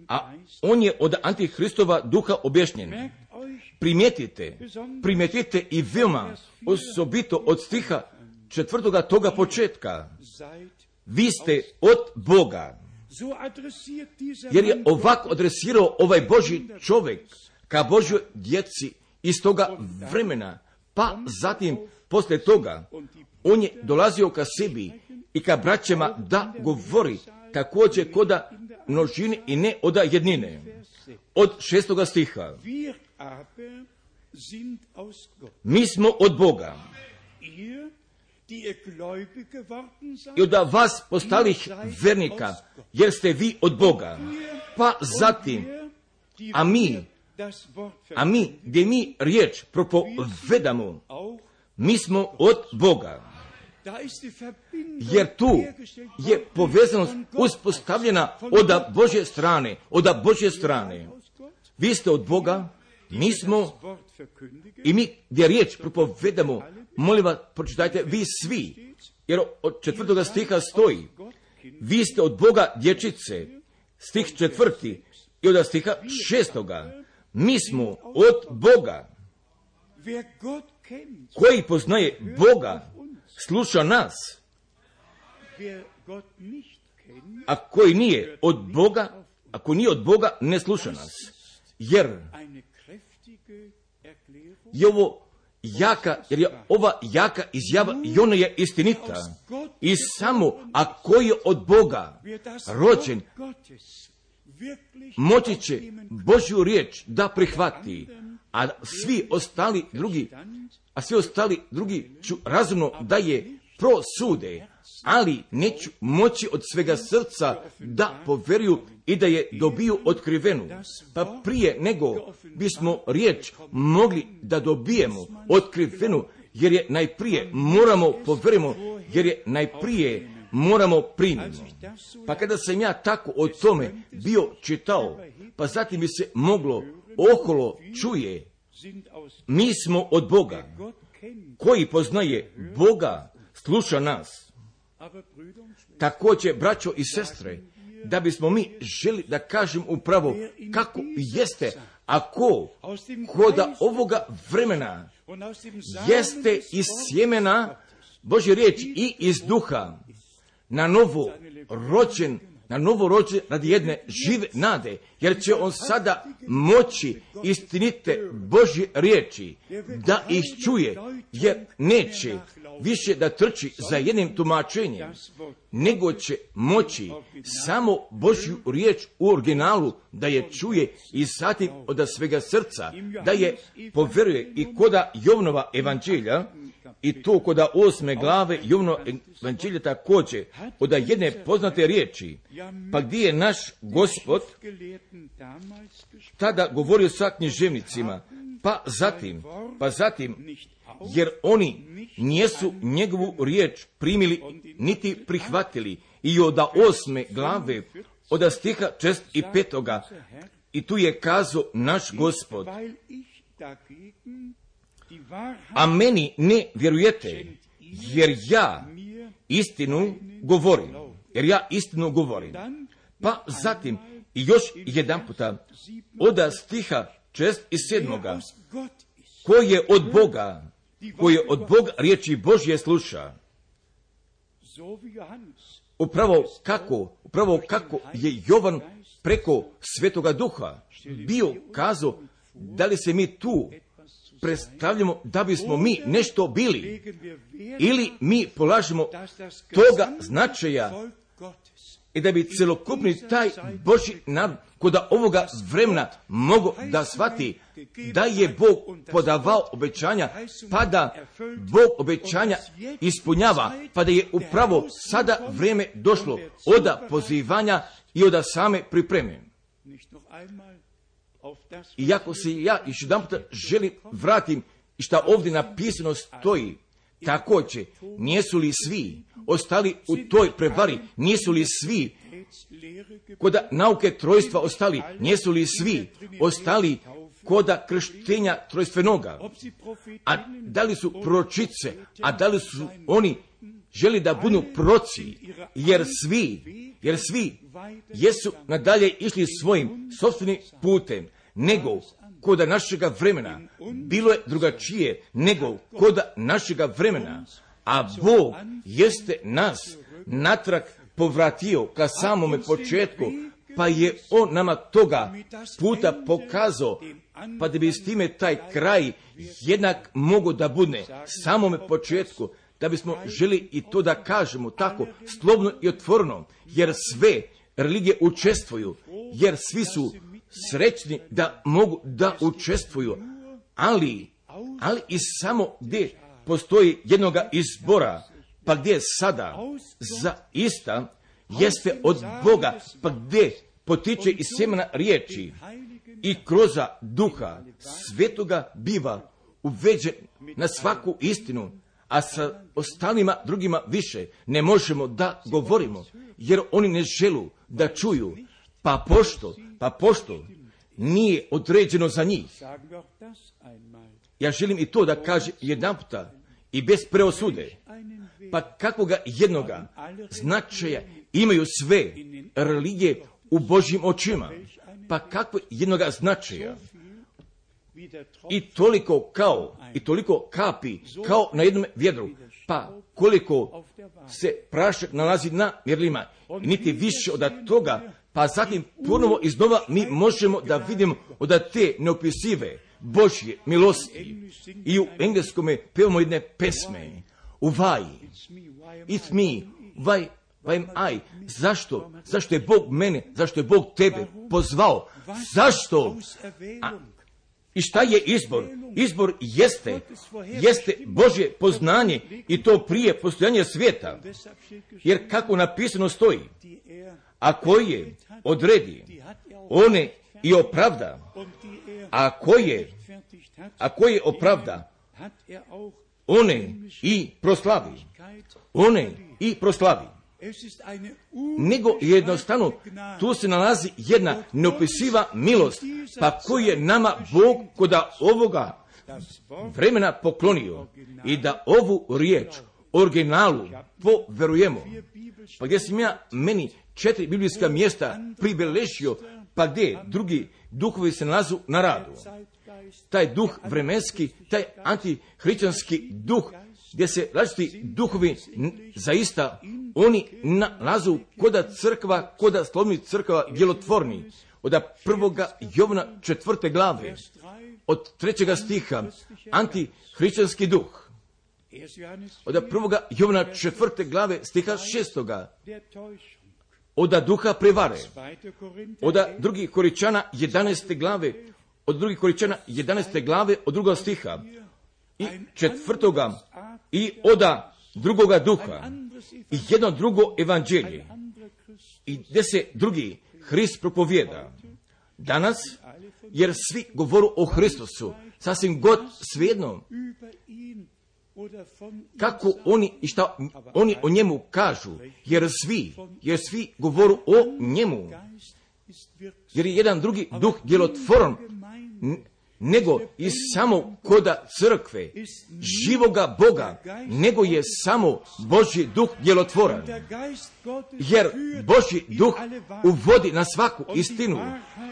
[SPEAKER 1] a on je od Antihristova duha objašnjen. Primijetite, primijetite i veoma osobito od stiha četvrtoga toga početka. Vi ste od Boga. Jer je ovako adresirao ovaj Božji čovjek ka Božjoj djeci iz toga vremena, pa zatim poslije toga on je dolazio ka sebi i ka braćama da govori također koda množine i ne od jednine. Od šestoga stiha. Mi smo od Boga. I od vas postalih vernika, jer ste vi od Boga. Pa zatim, a mi, a mi, gdje mi riječ propovedamo, mi smo od Boga. Jer tu je povezanost uspostavljena od Božje strane, od Božje strane. Vi ste od Boga, mi smo, i mi gdje riječ propovedamo, molim vas, pročitajte vi svi, jer od četvrtoga stiha stoji, vi ste od Boga dječice, stih četvrti, i od stiha šestoga, mi smo od Boga. Koji poznaje Boga, sluša nas, a koji nije od Boga, ako nije od Boga, ne sluša nas. Jer je ovo jaka, jer je ova jaka izjava i ona je istinita. I samo ako je od Boga rođen, moći će Božju riječ da prihvati, a svi ostali drugi, a svi ostali drugi ću razumno da je prosude, ali neću moći od svega srca da poveruju i da je dobiju otkrivenu. Pa prije nego bismo riječ mogli da dobijemo otkrivenu, jer je najprije moramo poverujemo, jer je najprije moramo primiti. Pa kada sam ja tako o tome bio čitao, pa zatim bi se moglo okolo čuje, mi smo od Boga. Koji poznaje Boga, sluša nas. Također, braćo i sestre, da bismo mi želi da kažem upravo kako jeste, ako koda ovoga vremena jeste iz sjemena Božje riječi i iz duha, na novo rođen, na novo rođen radi jedne žive nade, jer će on sada moći istinite Božje riječi da ih čuje, jer neće više da trči za jednim tumačenjem, nego će moći samo Božju riječ u originalu da je čuje i zatim od svega srca, da je poveruje. I koda Jovnova evanđelja, i to koda osme glave Jovnova evanđelja također, od jedne poznate riječi, pa gdje je naš Gospod tada govorio sa književnicima, pa zatim, pa zatim, jer oni nisu njegovu riječ primili niti prihvatili. I od osme glave, od stiha čest i petoga, i tu je kazao naš Gospod, a meni ne vjerujete, jer ja istinu govorim, jer ja istinu govorim. Pa zatim, i još jedan puta, od stiha čest i sedmoga, ko je od Boga, ko je od Boga riječi Božje sluša. Upravo kako, upravo kako je Jovan preko Svetoga Duha bio kazao, da li se mi tu predstavljamo da bismo mi nešto bili, ili mi polažemo toga značaja i da bi celokupni taj Božji narod kod ovoga vremena mogo da shvati da je Bog podavao obećanja, pa da Bog obećanja ispunjava, pa da je upravo sada vrijeme došlo od pozivanja i od same pripreme. Iako se ja još jedan puta želim vratim i šta ovdje napisano stoji, također, nisu li svi ostali u toj prevari, nisu li svi koda nauke trojstva ostali, nisu li svi ostali koda krštenja trojstvenoga, a da li su proročice, a da li su oni želi da budu proci, jer svi, jer svi jesu nadalje išli svojim sopstvenim putem, nego koda našega vremena bilo je drugačije nego koda našega vremena, a Bog jeste nas natrag povratio ka samome početku, pa je on nama toga puta pokazao, pa da bi s time taj kraj jednak mogo da bude samome početku, da bismo želi i to da kažemo tako slobodno i otvoreno, jer sve religije učestvuju, jer svi su srećni da mogu da učestvuju, ali, ali i samo gdje postoji jednoga izbora, pa gdje sada za ista jeste od Boga, pa gdje potiče iz sjemena riječi i kroz duha svetoga biva uveđen na svaku istinu, a sa ostalima drugima više ne možemo da govorimo, jer oni ne želu da čuju, pa pošto, pa pošto nije određeno za njih. Ja želim i to da kaže jedan puta i bez preosude, pa kakvoga jednoga značaja imaju sve religije u Božjim očima, pa kakvo jednoga značaja i toliko kao i toliko kapi kao na jednom vjedru, pa koliko se prašak nalazi na mjerilima, niti više od toga, pa zatim ponovo iznova mi možemo da vidimo od te neopisive Božje milosti. I u engleskome pevamo jedne pesme, Why, it's me, why, why am I, zašto, zašto je Bog mene, zašto je Bog tebe pozvao, zašto, a, I šta je izbor? Izbor jeste, jeste Božje poznanje i to prije postojanja svijeta. Jer kako napisano stoji, a koji je odredi, one i opravda, a koje, a koje opravda, one i proslavi, one i proslavi. Nego jednostavno tu se nalazi jedna neopisiva milost, pa koju je nama Bog koda ovoga vremena poklonio i da ovu riječ originalu poverujemo. Pa gdje sam ja meni četiri biblijska mjesta pribeležio, pa gdje drugi duhovi se nalazu na radu. Taj duh vremenski, taj antihrišćanski duh, gdje se različiti duhovi zaista oni nalazu koda crkva, koda slovni crkva djelotvorni. Od prvoga Jovana četvrte glave, od trećega stiha, antihrišćanski duh. Od prvoga Jovana četvrte glave, stiha šestoga, od duha prevare. Od drugih Koričana jedanaeste glave, od drugih Koričana jedanaeste glave, od drugoga stiha i četvrtoga i oda drugoga duha i jedno drugo evanđelje i gdje se drugi Hrist propovijeda. Danas, jer svi govoru o Hristusu, sasvim god svejedno kako oni i šta oni o njemu kažu, jer svi, jer svi govoru o njemu, jer je jedan drugi duh djelotvoran nego i samo koda crkve, živoga Boga, nego je samo Božji duh djelotvoran. Jer Božji duh uvodi na svaku istinu,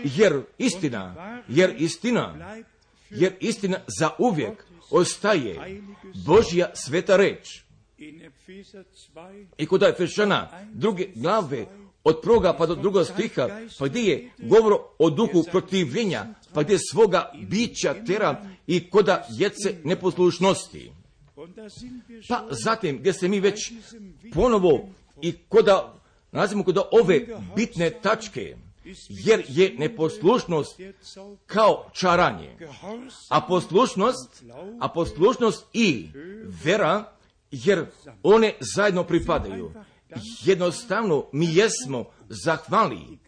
[SPEAKER 1] jer istina, jer istina, jer istina za uvijek ostaje Božja sveta reč. I kod Efešana druge glave, od prvoga pa do drugog stiha, pa gdje je govor o duhu protivljenja, pa gdje svoga bića tera i koda djece neposlušnosti. Pa zatim gdje se mi već ponovo i koda, nalazimo koda ove bitne tačke, jer je neposlušnost kao čaranje, a poslušnost, a poslušnost i vera, jer one zajedno pripadaju. Jednostavno mi jesmo zahvali,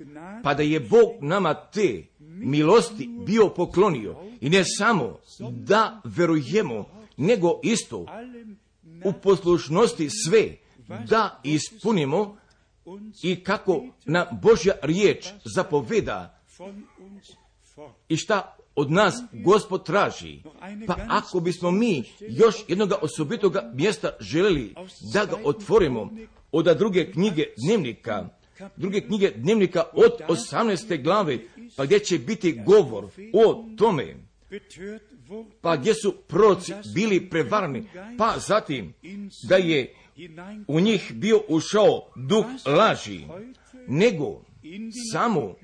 [SPEAKER 1] pa da je Bog nama te milosti bio poklonio i ne samo da verujemo, nego isto u poslušnosti sve da ispunimo i kako na Božja riječ zapoveda i šta od nas Gospod traži. Pa ako bismo mi još jednoga osobitoga mjesta željeli da ga otvorimo od druge knjige dnevnika, druge knjige dnevnika od osamnaeste glave, pa gdje će biti govor o tome, pa gdje su proroci bili prevarni, pa zatim da je u njih bio ušao duh laži, nego samo,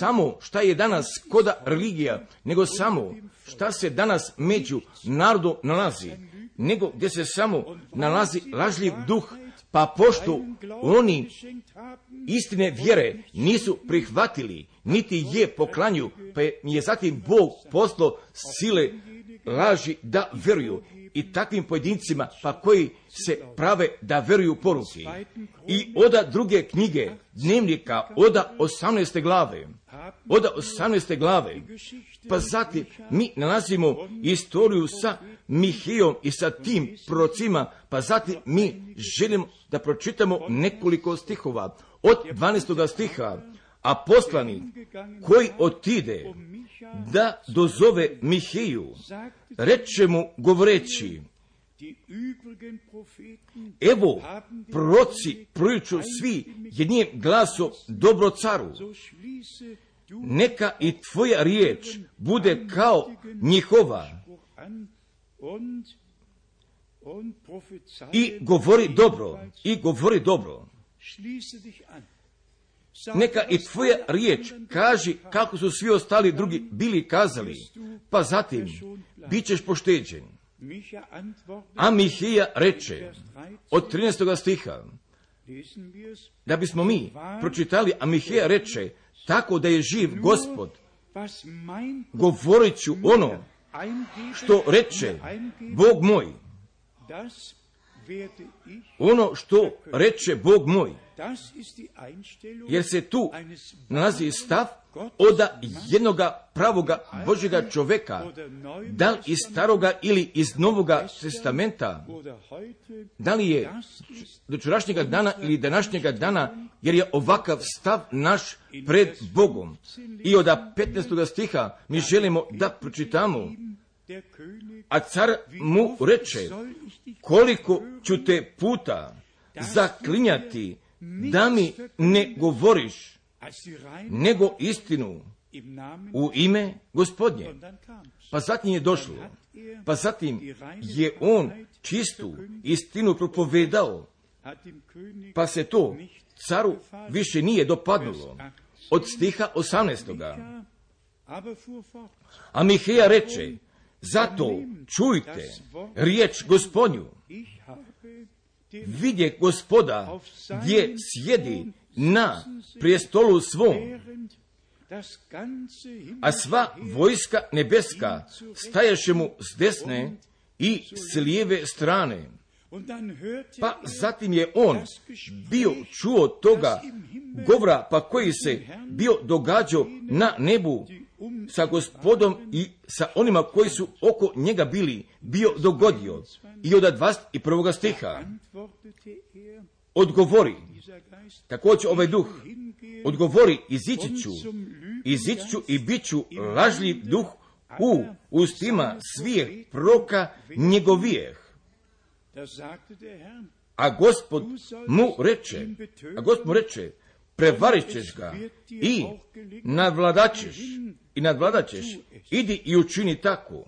[SPEAKER 1] samo šta je danas koda religija, nego samo šta se danas među narodom nalazi, nego gdje se samo nalazi lažljiv duh, pa pošto oni istine vjere nisu prihvatili, niti je poklanju, pa je zatim Bog poslao sile laži da vjeruju i takvim pojedincima pa koji se prave da vjeruju poruci. I oda druge knjige dnevnika, oda osamnaeste glave, oda osamnaeste glave, pa zatim mi nalazimo istoriju sa Mihijom i sa tim prorocima, pa zatim mi želimo da pročitamo nekoliko stihova. Od dvanaestog stiha, a poslanik koji otide da dozove Mihiju, reče mu govoreći, evo, proroci proriču svi jednim glasom dobro caru, neka i tvoja riječ bude kao njihova i govori dobro, i govori dobro. Neka i tvoja riječ kaži kako su svi ostali drugi bili kazali, pa zatim bit ćeš pošteđen. A Mihija reče, od trinaestog stiha, da bismo mi pročitali, a Mihija reče, tako da je živ Gospod, govorit ću ono što reče Bog moj. Ono što reče Bog moj. Jer se tu nalazi stav od jednoga pravoga Božjega čoveka, da li iz staroga ili iz novoga testamenta, da li je do včerašnjega dana ili današnjega dana, jer je ovakav stav naš pred Bogom. I od petnaestog stiha mi želimo da pročitamo, a car mu reče, koliko ću te puta zaklinjati da mi ne govoriš, nego istinu u ime Gospodnje. Pa zatim je došlo, pa zatim je on čistu istinu propovedao, pa se to caru više nije dopadnulo. Od stiha osamnaestoga. A Miheja reče, zato čujte riječ Gospodnju. Vidje Gospoda gdje sjedi na prijestolu svom, a sva vojska nebeska stajaše mu s desne i s lijeve strane. Pa zatim je on bio čuo toga govora, pa koji se bio događao na nebu sa Gospodom i sa onima koji su oko njega bili, bio dogodio. I od dvadeset prvog stiha odgovori, također ovaj duh, odgovori, izići ću, izići ću i bit ću lažljiv duh u ustima svih proroka njegovijeh. A Gospod mu reče, a Gospod mu reče, prevarit ćeš ga i nadvladaćeš, i nadvladaćeš, idi i učini tako.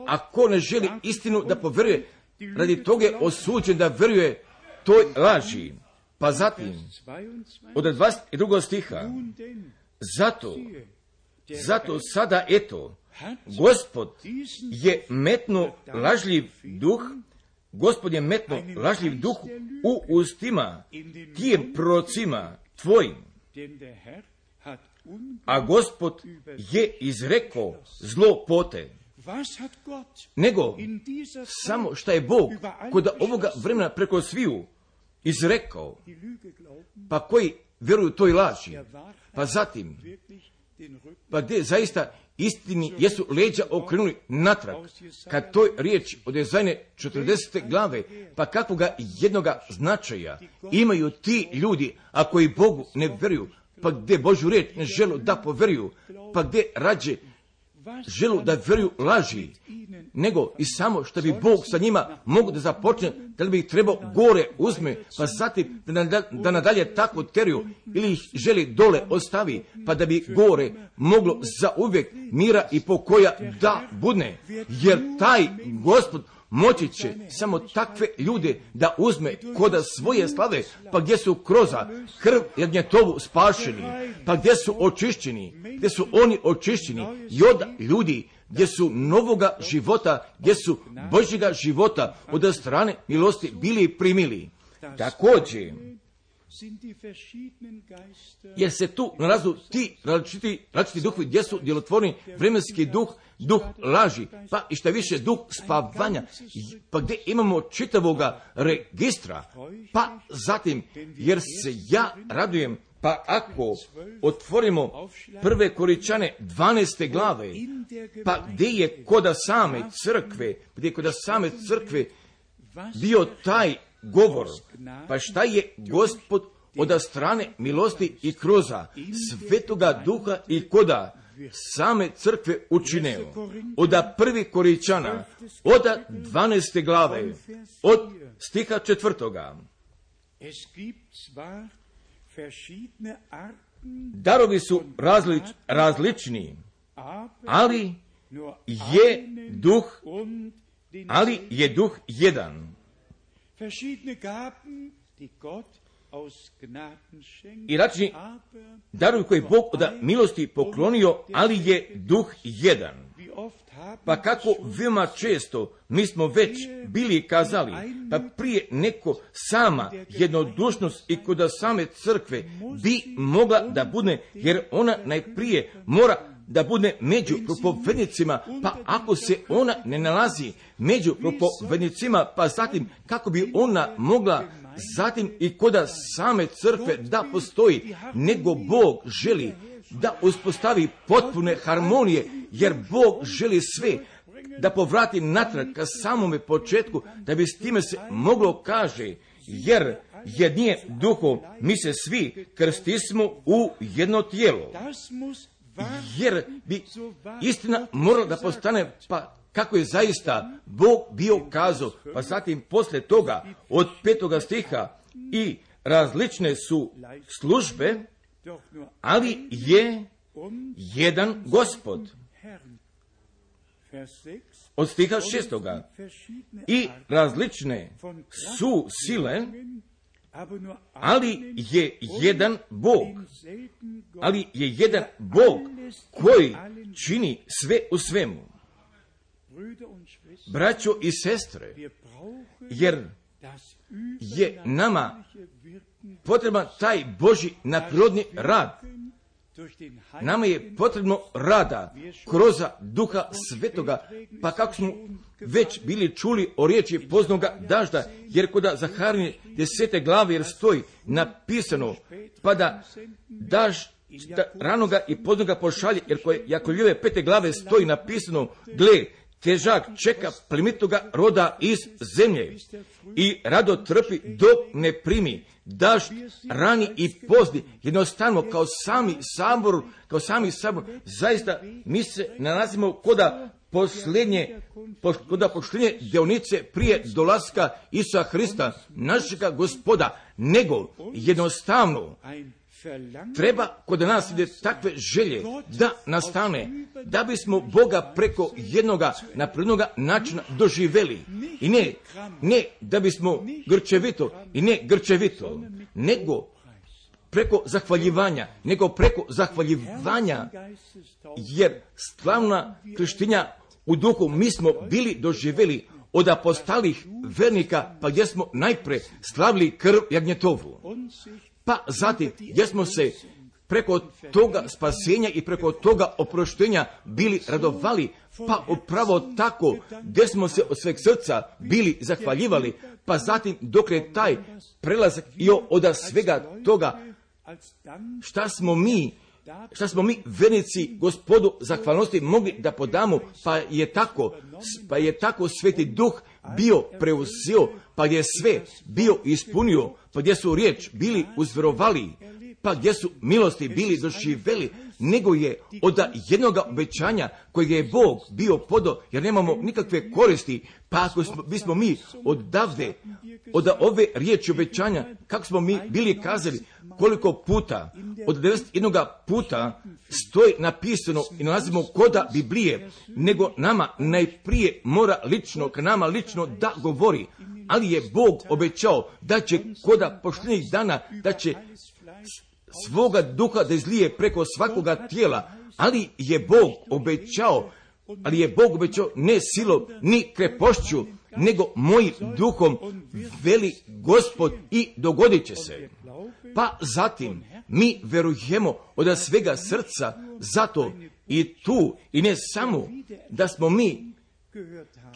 [SPEAKER 1] Ako ne želi istinu da poveruje, radi toga je osuđen da veruje toj laži. Pa zatim, od dvadeset drugog stiha, zato, zato sada eto, Gospod je metno lažljiv duh, Gospod je metno lažljiv duh u ustima tim prorocima tvojim, a Gospod je izrekao zlo pote. Nego, samo šta je Bog kod ovoga vremena preko sviju izrekao, pa koji vjeruju toj laži, pa zatim, pa gdje zaista istini jesu leđa okrenuli natrag, kad toj riječi od Jezajne četrdesete glave, pa kakvoga jednoga značaja imaju ti ljudi, a koji Bogu ne vjeruju, pa gdje Božju riječ ne želu da poveruju, pa gdje rađe želu da vjeruju laži, nego i samo što bi Bog sa njima mogu da započne, da li bi ih trebao gore uzme, pa zatim da, nadalje, da nadalje tako teriju, ili ih želi dole ostavi, pa da bi gore moglo za uvijek mira i pokoja da budne, jer taj Gospod moći će samo takve ljude da uzme koda svoje slave, pa gdje su kroza krv jagnjetovu spašeni, pa gdje su očišćeni, gdje su oni očišćeni i od ljudi gdje su novoga života, gdje su Božjega života od strane milosti bili primili. Također, jer se tu nalazu ti različiti, različiti duhovi, gdje su djelotvorni vremenski duh, duh laži, pa i šta više duh spavanja, pa gdje imamo čitavoga registra, pa zatim, jer se ja radujem, pa ako otvorimo prve Koričane dvanaeste glave, pa gdje je koda same crkve, gdje je koda same crkve bio taj govor, pa šta je Gospod od strane milosti i kroza Svetoga Duha i koda same crkve učineo. Od prvi Koričana, od dvanaeste glave, od stiha četvrtoga. Darovi su različ, različni, ali je duh, ali je duh jedan. i račni darovi koje Bog od milosti poklonio, ali je duh jedan. Pa kako veoma često mi smo već bili kazali, pa prije neko sama jednodušnost i kod same crkve bi mogla da bude, jer ona najprije mora da bude među propovednicima, pa ako se ona ne nalazi među propovednicima, pa zatim kako bi ona mogla zatim i kod same crkve da postoji, nego Bog želi da uspostavi potpune harmonije, jer Bog želi sve da povrati natrag ka samome početku, da bi s time se moglo kaže, jer jednim duhom mi se svi krstismo u jedno tijelo. Jer bi istina morala da postane, pa kako je zaista Bog bio kazao, pa zatim posle toga od petoga stiha i različne su službe, ali je jedan Gospod. Od stiha šestoga i različne su sile, ali je jedan Bog, ali je jedan Bog koji čini sve u svemu. Braćo i sestre, jer je nama potreban taj Božji nadprirodni rad. Nama je potrebno rada kroz Duha Svetoga, pa kako smo već bili čuli o riječi poznoga dažda, jer kod Zaharije desete glave jer stoji napisano, pa da daž ranoga i poznoga pošalje, jer kod Jakovljeve pete glave stoji napisano, gle, težak čeka plemenitoga roda iz zemlje i rado trpi dok ne primi daž rani i pozni, jednostavno kao sami sabor, kao sami sabor, zaista mi se nalazimo koda posljednje, koda posljednje dionice prije dolaska Isusa Hrista, našega Gospoda, nego jednostavno treba kod nas ide takve želje da nastane, da bismo Boga preko jednoga naprednoga načina doživeli. I ne, ne da bismo grčevito, i ne grčevito, nego preko zahvaljivanja, nego preko zahvaljivanja, jer slavna krštenja u duhu mi smo bili doživeli od apostolih vernika, pa gdje smo najpre slavili krv jagnjetovu. Pa zatim, gdje smo se preko toga spasenja i preko toga oproštenja bili radovali, pa upravo tako, gdje smo se od sveg srca bili zahvaljivali, pa zatim dok je taj prelazak i od svega toga, šta smo mi, šta smo mi vernici Gospodu zahvalnosti mogli da podamo, pa je tako, pa je tako Sveti Duh bio preuzeo, pa gdje sve bio ispunio, pa gdje su riječ bili uzverovali, pa gdje su milosti bili doživeli, nego je od jednog obećanja kojeg je Bog bio podo, jer nemamo nikakve koristi, pa ako smo, bismo mi odavde, od ove riječi obećanja, kako smo mi bili kazali, koliko puta, od devedeset jednog puta stoji napisano i nalazimo koda Biblije, nego nama najprije mora lično, k nama lično da govori, ali je Bog obećao da će koda pošljenih dana, da će svoga duha da izlije preko svakoga tijela, ali je Bog obećao, ali je Bog obećao ne silom, ni krepošću, nego mojim duhom, veli Gospod, i dogodit će se. Pa zatim mi verujemo od svega srca, zato i tu, i ne samo da smo mi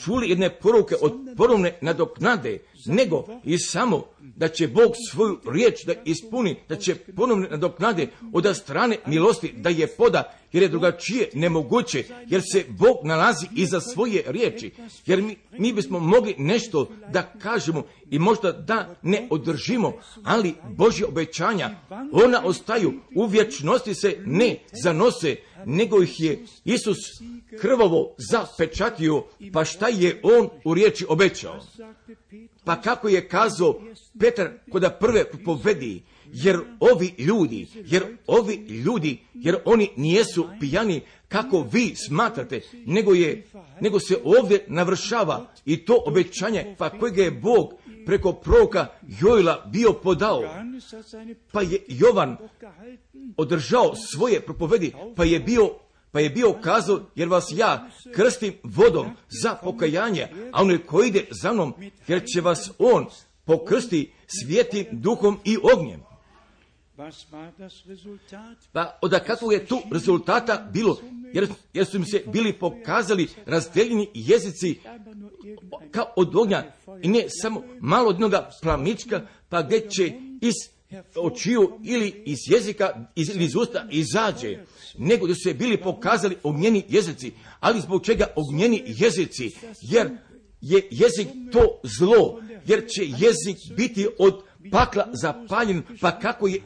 [SPEAKER 1] čuli jedne poruke od ponovne nadoknade, nego i samo da će Bog svoju riječ da ispuni, da će ponovne nadoknade od strane milosti da je poda, jer je drugačije nemoguće, jer se Bog nalazi iza svoje riječi, jer mi, mi bismo mogli nešto da kažemo i možda da ne održimo, ali Božje obećanja, ona ostaju, u vječnosti se ne zanose, nego ih je Isus krvavo zapečatio, pa šta je on u riječi obećao? Pa kako je kazao Petar koda prve povedi, jer ovi ljudi, jer ovi ljudi, jer oni nijesu pijani kako vi smatrate, nego je, nego se ovdje navršava i to obećanje, pa kojeg je Bog preko proroka Joela bio podao, pa je Jovan održao svoje propovedi, pa je bio Pa je bio kazao, jer vas ja krstim vodom za pokajanje, a onaj koji ide za mnom, jer će vas on pokrsti svijetim duhom i ognjem. Pa od kakvog je tu rezultata bilo, jer, jer su im se bili pokazali razdeljeni jezici kao od ognja, i ne samo malo od jednoga plamička, pa gdje će iz očiju ili iz jezika ili iz usta izađe, nego da su se bili pokazali ognjeni jezici. Ali zbog čega ognjeni jezici? Jer je jezik to zlo, jer će jezik biti od pakla zapaljen, pa kako je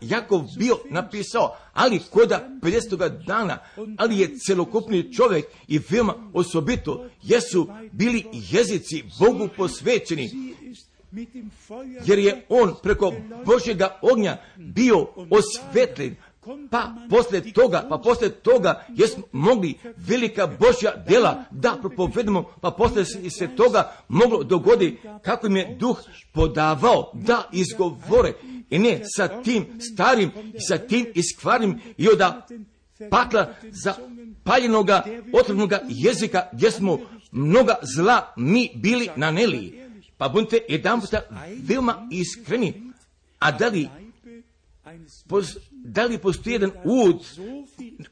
[SPEAKER 1] Jakov bio napisao, ali koda pedesetoga dana, ali je celokupni čovjek i veoma osobito jesu bili jezici Bogu posvećeni, jer je on preko Božjega ognja bio osvetljen. Pa poslije toga, pa poslije toga jesmo mogli velika Božja djela da propovedemo, pa poslije se toga moglo dogoditi kako im je duh podavao da izgovore, i ne sa tim starim i sa tim iskvarnim i od pakla zapaljenoga otrovnoga jezika gdje smo mnoga zla mi bili naneli. Pa budite jedan puta veoma iskreni, a da li Pos, da li postoji jedan ud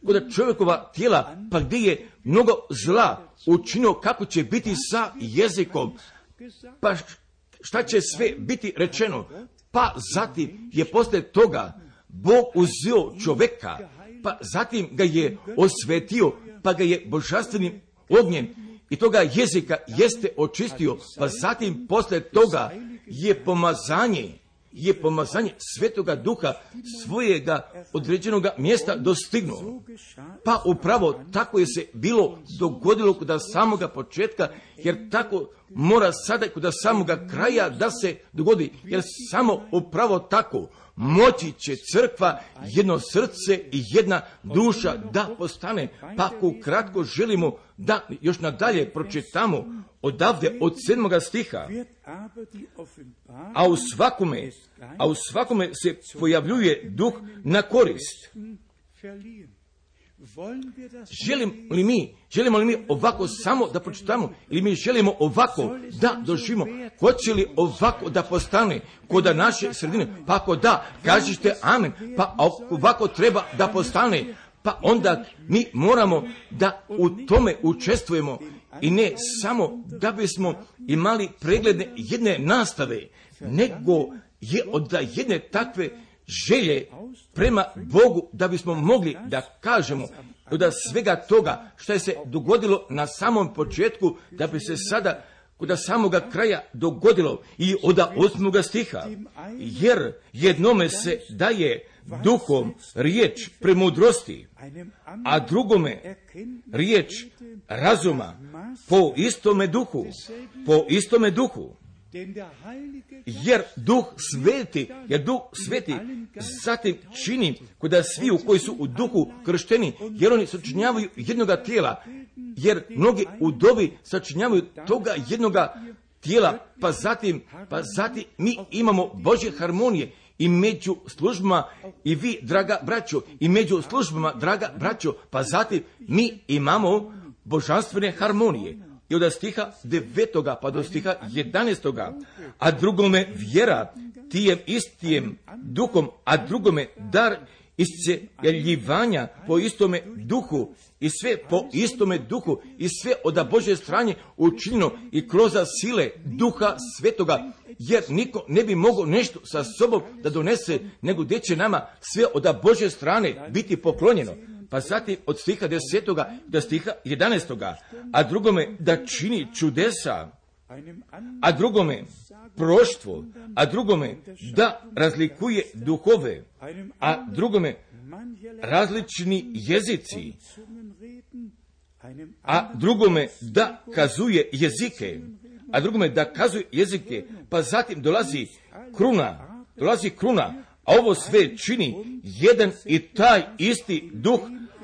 [SPEAKER 1] kod čovjekova tijela, pa gdje je mnogo zla učinio, kako će biti sa jezikom, pa šta će sve biti rečeno, pa zatim je poslije toga Bog uzeo čovjeka, pa zatim ga je osvetio, pa ga je božanstvenim ognjem i toga jezika jeste očistio, pa zatim poslije toga je pomazanje, je pomazanje Svetoga Duha svojega određenoga mjesta dostignuo. Pa upravo tako je se bilo dogodilo kod samoga početka, jer tako mora sada kod samoga kraja da se dogodi, jer samo upravo tako moći će crkva, jedno srce i jedna duša da postane. Pa ako kratko želimo da još nadalje pročitamo odavde od sedmoga stiha, a u svakome, a u svakome se pojavljuje duh na korist. Želim li mi, želimo li mi ovako samo da pročitamo, ili mi želimo ovako da doživimo? Hoće li ovako da postane kod naše sredine? Pa ako da, kažite amen. Pa ovako treba da postane, pa onda mi moramo da u tome učestvujemo, i ne samo da bismo imali pregledne jedne nastave, nego je od jedne takve želje prema Bogu da bismo mogli da kažemo od svega toga što je se dogodilo na samom početku, da bi se sada kod samoga kraja dogodilo i od osmoga stiha, jer jednome se daje duhom riječ premudrosti, a drugome riječ razuma po istome duhu, po istome duhu. Jer duh sveti, jer duh sveti zatim čini kod svi u koji su u duhu kršteni, jer oni sačinjavaju jednoga tijela, jer mnogi u dobi sačinjavaju toga jednoga tijela, pa zatim, pa zatim mi imamo Božje harmonije i među službama, i vi, draga braćo, i među službama, draga braćo, pa zatim mi imamo božanstvene harmonije. I od stiha devetoga pa do stiha jedanaestoga, a drugome vjera tijem istijem duhom, a drugome dar iscjeljivanja po istome duhu, i sve po istome duhu, i sve od Božje strane učinjeno i kroz sile duha svetoga, jer niko ne bi mogao nešto sa sobom da donese, nego gdje će nama sve od Božje strane biti poklonjeno. Pa zatim od stiha desetoga do stiha jedanaestoga, a drugome da čini čudesa, a drugome proroštvo, a drugome da razlikuje duhove, a drugome različni jezici, a drugome da kazuje jezike, a drugome da kazuje jezike, pa zatim dolazi kruna, dolazi kruna, a ovo sve čini jedan i taj isti duh,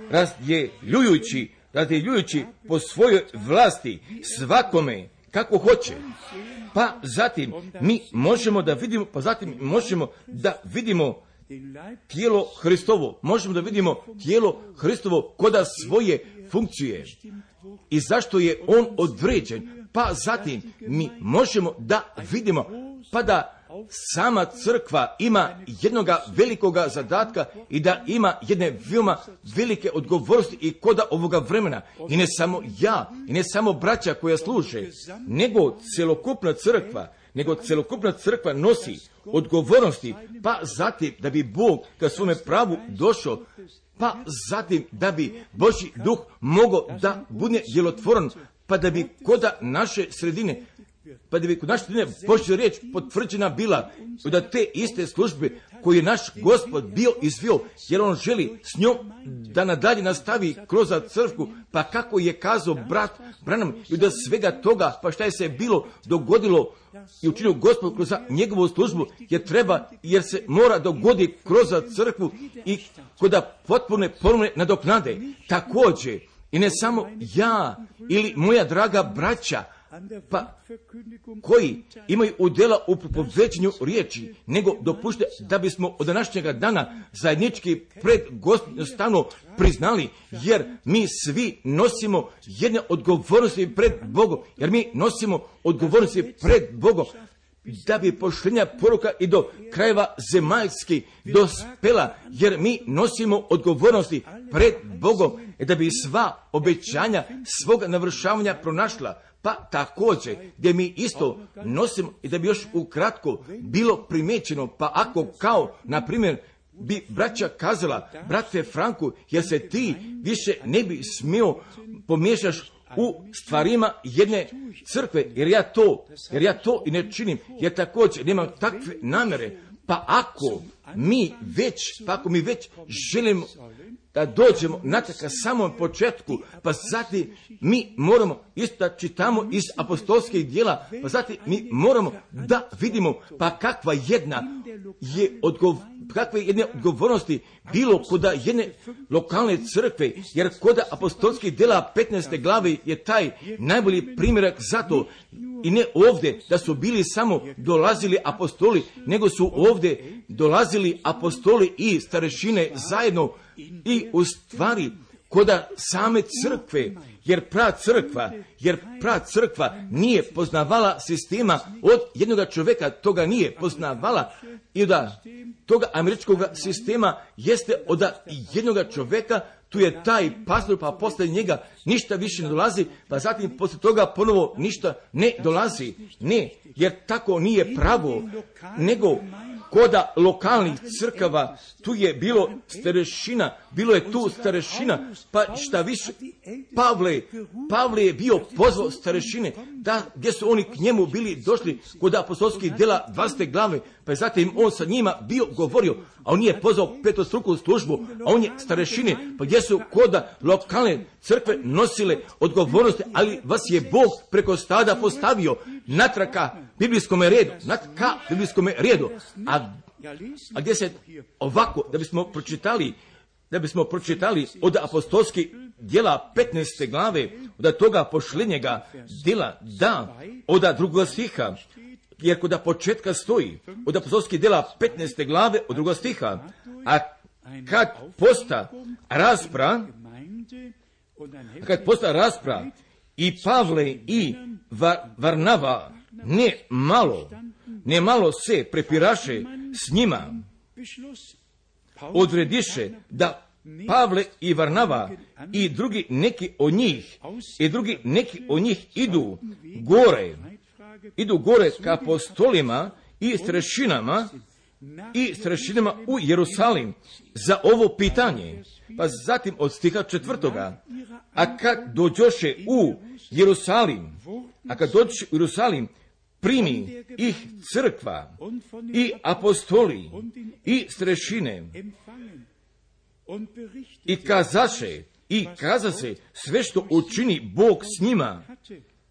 [SPEAKER 1] razdjeljujući, razdjeljujući po svojoj vlasti svakome kako hoće. pa zatim mi možemo da vidimo, pa zatim možemo da vidimo tijelo Hristovo, možemo da vidimo tijelo Hristovo koda svoje funkcije i zašto je on određen, pa zatim mi možemo da vidimo, pa da sama crkva ima jednoga velikoga zadatka i da ima jedne veoma velike odgovornosti i koda ovoga vremena. I ne samo ja, i ne samo braća koja služe, nego celokupna crkva, nego celokupna crkva nosi odgovornosti, pa zatim da bi Bog ka svome pravu došao, pa zatim da bi Božji duh mogao da bude djelotvoran, pa da bi koda naše sredine, pa da bi kod naše sredine Božja riječ potvrđena bila, da te iste službe koje je naš Gospod bio izvio, jer on želi s njom da nadalje nastavi kroz crkvu, pa kako je kazao brat Branham, i da svega toga, pa šta je se bilo dogodilo i učinio Gospod kroz njegovu službu, jer treba, jer se mora dogoditi kroz crkvu i koda potpune ponovne nadoknade. Također, i ne samo ja ili moja draga braća, pa koji imaju udjela u propoveđenju riječi, nego dopušte da bismo od današnjega dana zajednički pred Gospodom stanu priznali, jer mi svi nosimo jedne odgovornosti pred Bogom, jer mi nosimo odgovornosti pred Bogom, da bi poštenja poruka i do krajeva zemaljski dospela, jer mi nosimo odgovornosti pred Bogom, da bi sva obećanja svoga navršavanja pronašla. Pa također, gdje mi isto nosimo, i da bi još ukratko bilo primećeno, pa ako kao, na primjer, bi braća kazala, brate Franku, jer se ti više ne bi smio pomiješaš u stvarima jedne crkve, jer ja to, jer ja to i ne činim, jer također nemam takve namjere, pa ako mi već, pa ako mi već želimo da dođemo na taka samom početku, pa zatim mi moramo isto da čitamo iz apostolskih djela, pa zatim mi moramo da vidimo pa kakva jedna je odgov, kakve jedne odgovornosti bilo koda jedne lokalne crkve, jer koda apostolskih djela petnaeste glave je taj najbolji primjerak za to. I ne ovdje da su bili samo dolazili apostoli, nego su ovdje dolazili apostoli i starešine zajedno i u stvari koda same crkve, jer pra crkva, jer pra crkva nije poznavala sistema od jednoga čovjeka, toga nije poznavala, i da toga američkog sistema jeste od jednoga čovjeka, tu je taj pastor, pa posle njega ništa više ne dolazi, pa zatim posle toga ponovo ništa ne dolazi. Ne, jer tako nije pravo, nego koda lokalnih crkava, tu je bilo starešina, bilo je tu starešina, pa šta više, Pavle, Pavle je bio pozvao starešine, da, gdje su oni k njemu bili došli kod apostolskih djela dvadesete glave, pa je zatim on sa njima bio govorio, a on nije pozvao petostruku službu, a on je starešine, pa gdje su koda lokalne crkve nosile odgovornosti, ali vas je Bog preko stada postavio natraka biblijskom redu, natraka biblijskom redu, a, a gdje se ovako, da bismo pročitali, da bismo pročitali od apostolskih djela petnaeste glave, od toga pošljenjega djela, da, od drugog stiha, jer kod početka stoji, od apostolskih djela petnaeste glave, od drugog stiha, a kad posta raspra, kad posta raspra, i Pavle i Varnava ne malo, ne malo se prepiraše s njima, odrediše da Pavle i Varnava i drugi neki od njih, i drugi neki od njih idu gore, idu gore ka apostolima i starešinama i starešinama u Jerusalim za ovo pitanje. Pa zatim od stiha četvrtoga, a kad dođoše u Jerusalim, a kad dođoše u Jerusalim, primi ih crkva i apostoli i starešine i kazaše, i kazaše sve što učini Bog s njima,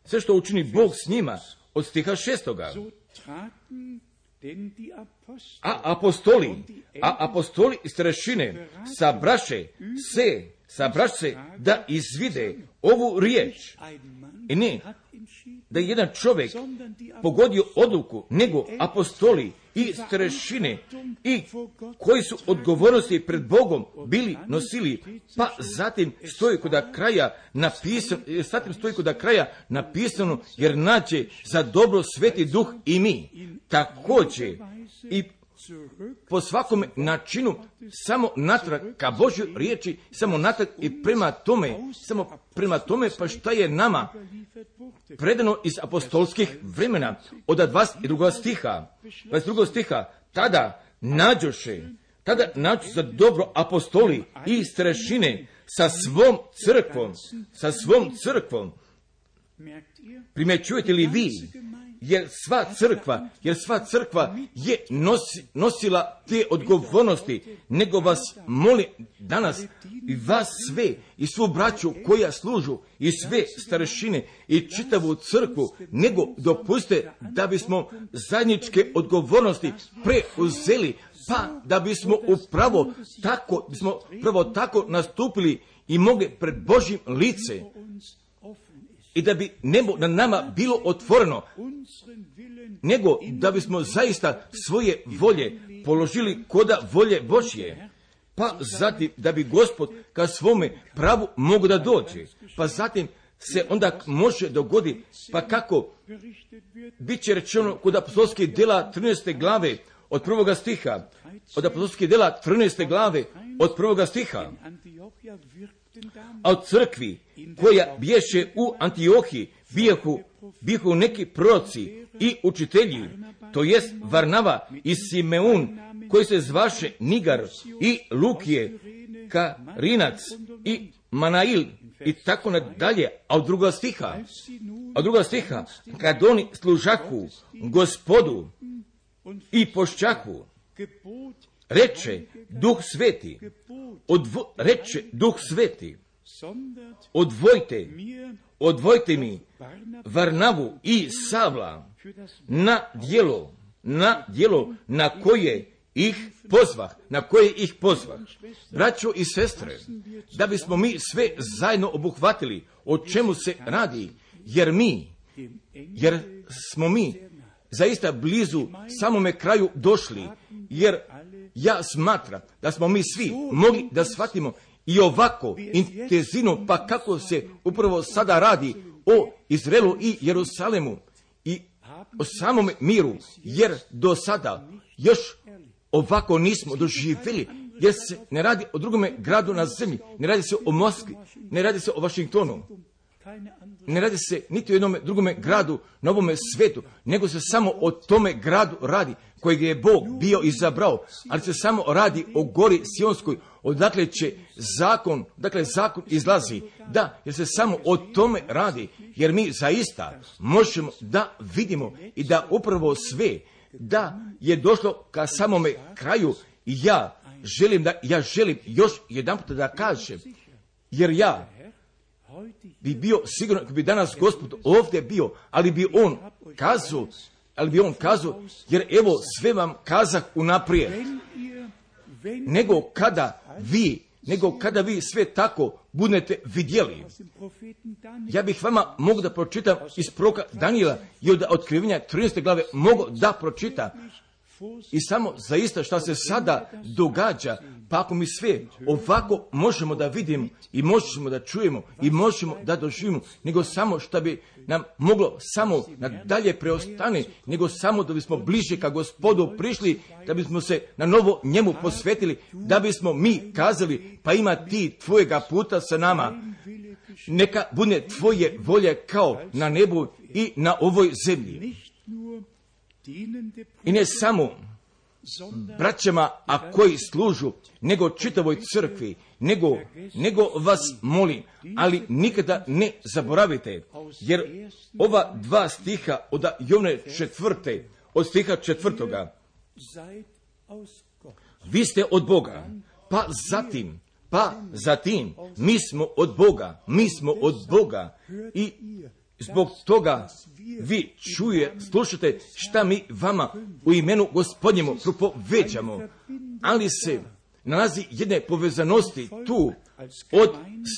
[SPEAKER 1] sve što učini Bog s njima, od stiha šestoga. A apostoli, a apostoli i starešine sabraše se sabraše da izvide ovu riječ. I ne da je jedan čovjek pogodio odluku, nego apostoli i starešine i koji su odgovornosti pred Bogom bili nosili, pa zatim stoji kod kraja napisano, zatim stoji kod kraja napisano, jer nađe za dobro Sveti Duh i mi također i po svakom načinu samo natrag ka Božjoj riječi, samo natrag i prema tome, samo prema tome pa šta je nama predano iz apostolskih vremena od dvadeset drugog stiha, dvadeset drugog stiha, tada nađoše, tada nađu za dobro apostoli i starešine sa svom crkvom, sa svom crkvom. Primjećujete li vi? Jer sva crkva, jer sva crkva je nosi, nosila te odgovornosti, nego vas molim danas i vas sve i svu braću koja služu i sve starešine i čitavu crkvu, nego dopustite da bismo zajedničke odgovornosti preuzeli, pa da bismo upravo tako, bismo pravo tako nastupili i mogli pred Božjim lice. I da bi nebo na nama bilo otvoreno, nego da bismo zaista svoje volje položili koda volje Božje, pa zatim da bi Gospod ka svome pravu mogu da dođe, pa zatim se onda može dogoditi, pa kako bit će rečeno kod apostolskih djela trinaeste glave od prvoga stiha, od apostolskih djela trinaeste glave od prvoga stiha, a od crkvi koja biješe u Antiohiji bijehu, bijehu neki proroci i učitelji, to jest Varnava i Simeun, koji se zvaše Nigar i Lukije, Karinac i Manail i tako nadalje. A od druga stiha, od druga stiha, kad oni služahu Gospodu i pošćahu, reče Duh Sveti, odvo, reče Duh Sveti, odvojte, odvojte mi Varnavu i Savla na djelo, na djelo na koje ih pozvah, na koje ih pozvah. Braćo i sestre, da bismo mi sve zajedno obuhvatili o čemu se radi, jer mi, jer smo mi zaista blizu samome kraju došli, jer ja smatram da smo mi svi mogli da shvatimo i ovako intenzivno, pa kako se upravo sada radi o Izraelu i Jerusalemu i o samom miru, jer do sada još ovako nismo doživjeli, jer se ne radi o drugome gradu na zemlji, ne radi se o Moskvi, ne radi se o Vašingtonu, ne radi se niti o jednom drugome gradu na ovome svetu, nego se samo o tome gradu radi kojeg je Bog bio izabrao, ali se samo radi o gori Sionskoj, odakle će zakon, dakle zakon izlazi, da, jer se samo o tome radi, jer mi zaista možemo da vidimo i da upravo sve, da je došlo ka samome kraju i ja želim da, ja želim još jedan put da kažem, jer ja bi bio sigurno, ako bi danas Gospod ovdje bio, ali bi on kazao, ali bi on kazao, jer evo sve vam kazah unaprijed, nego kada vi, nego kada vi sve tako budete vidjeli. Ja bih vama mogu da pročitam iz proroka Danijela i od otkrivenja trinaeste glave mogu da pročitam. I samo zaista šta se sada događa, pa ako mi sve ovako možemo da vidimo i možemo da čujemo i možemo da doživimo, nego samo šta bi nam moglo samo nadalje preostane, nego samo da bismo bliže ka Gospodu prišli, da bismo se na novo njemu posvetili, da bismo mi kazali, pa ima ti tvojega puta sa nama, neka bude tvoje volje kao na nebu i na ovoj zemlji. I ne samo braćama, a koji služu, nego čitavoj crkvi, nego, nego vas molim, ali nikada ne zaboravite, jer ova dva stiha od Jovne četvrte, od stiha četvrtoga, vi ste od Boga, pa zatim, pa zatim, mi smo od Boga, mi smo od Boga i zbog toga vi čuje, slušate šta mi vama u imenu Gospodnjemu propoveđamo, ali se nalazi jedne povezanosti tu od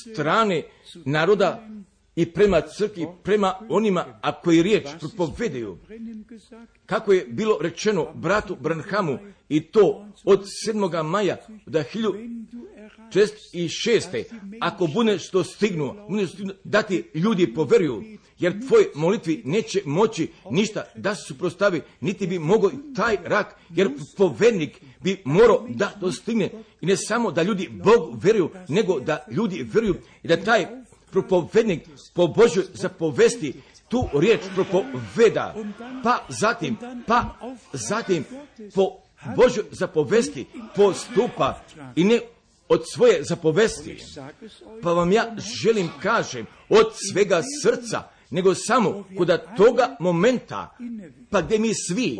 [SPEAKER 1] strane naroda i prema crkvi, prema onima, a koji riječ propovedaju. Kako je bilo rečeno bratu Branhamu, i to od sedmoga maja do hiljadu četiristo šeste. Ako bude što stignu, bude stignu da ti ljudi poveruju, jer tvoj molitvi neće moći ništa da se suprostavi, niti bi mogao i taj rak, jer povednik bi morao da dostigne. I ne samo da ljudi Bogu veruju, nego da ljudi veruju i da taj propovednik po Božjoj zapovesti tu riječ propoveda, pa zatim, pa zatim po Božjoj zapovesti postupa i ne od svoje zapovesti. Pa vam ja želim kažem od svega srca, nego samo kod toga momenta, pa gdje mi svi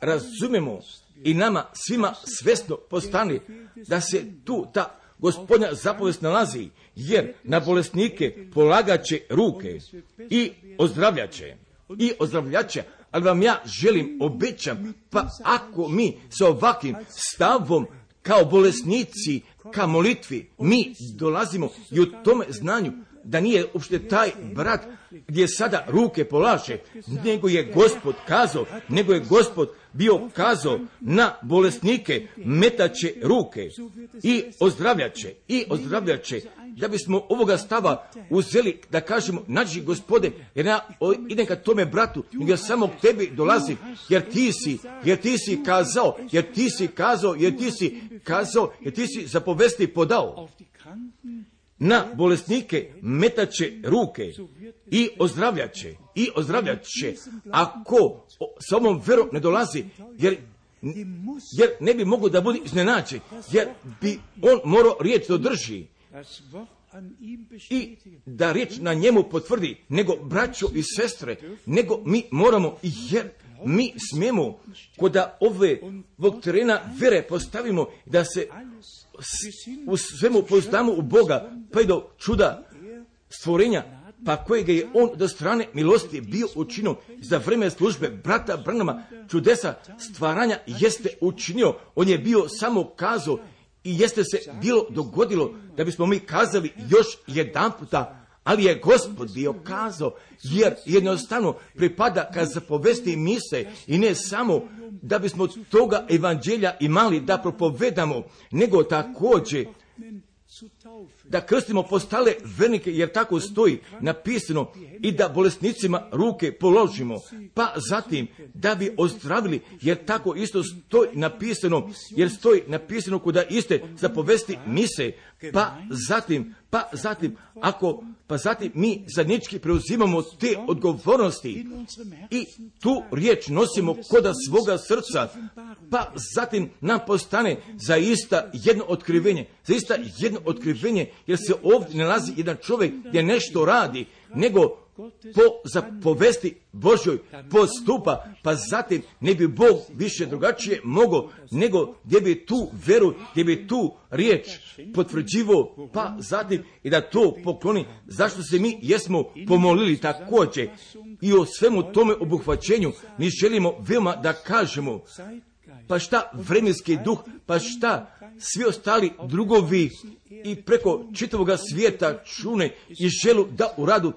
[SPEAKER 1] razumemo i nama svima svjesno postane da se tu ta Gospodnja zapovest nalazi, jer na bolesnike polagaće ruke i ozdravljaće, i ozdravljaće, ali vam ja želim, obećam, pa ako mi sa ovakvim stavom kao bolesnici, ka molitvi, mi dolazimo i u tome znanju da nije uopšte taj brat gdje sada ruke polaže, nego je Gospod kazao, nego je Gospod bio kazao na bolesnike metaće ruke i ozdravljaće, i ozdravljaće, da bismo ovoga stava uzeli da kažemo, nađi Gospode, jer ja idem ka tome bratu, nego ja samo k tebi dolazim, jer ti si, jer ti si kazao, jer ti si kazao, jer ti si kazao, jer ti si zapovesti podao. Na bolesnike metaće ruke i ozdravljaće, i ozdravljaće, ako sa ovom verom ne dolazi, jer, jer ne bi mogao da bude iznenađen, jer bi on morao riječ da drži i da riječ na njemu potvrdi, nego braćo i sestre, nego mi moramo, jer mi smijemo kod ove ovog terena vere postavimo da se u svemu poznamo u Boga, pa i do čuda stvorenja, pa kojega je on do strane milosti bio učinio za vreme službe brata Branhama, čudesa stvaranja jeste učinio. On je bio samo kazao i jeste se bilo dogodilo da bismo mi kazali još jedan puta, ali je Gospod bio kazao, jer jednostavno pripada kad zapovesti mise i ne samo da bismo toga evanđelja imali da propovedamo, nego također da krstimo postale vernike, jer tako stoji napisano, i da bolesnicima ruke položimo, pa zatim da bi ozdravili, jer tako isto stoji napisano, jer stoji napisano kuda iste zapovesti mise, pa zatim, pa zatim, ako, pa zatim mi zajednički preuzimamo te odgovornosti i tu riječ nosimo koda svoga srca, pa zatim nam postane zaista jedno otkrivenje, zaista jedno otkrivenje, jer se ovdje nalazi jedan čovjek gdje nešto radi, nego po zapovesti Božjoj postupa, pa zatim ne bi Bog više drugačije mogao, nego gdje bi tu veru, gdje bi tu riječ potvrđivo, pa zatim i da to pokloni, zašto se mi jesmo pomolili također i o svemu tome obuhvaćenju mi želimo veoma da kažemo, pa šta vremenski duh, pa šta svi ostali drugovi i preko čitavoga svijeta čune i želu da uradu,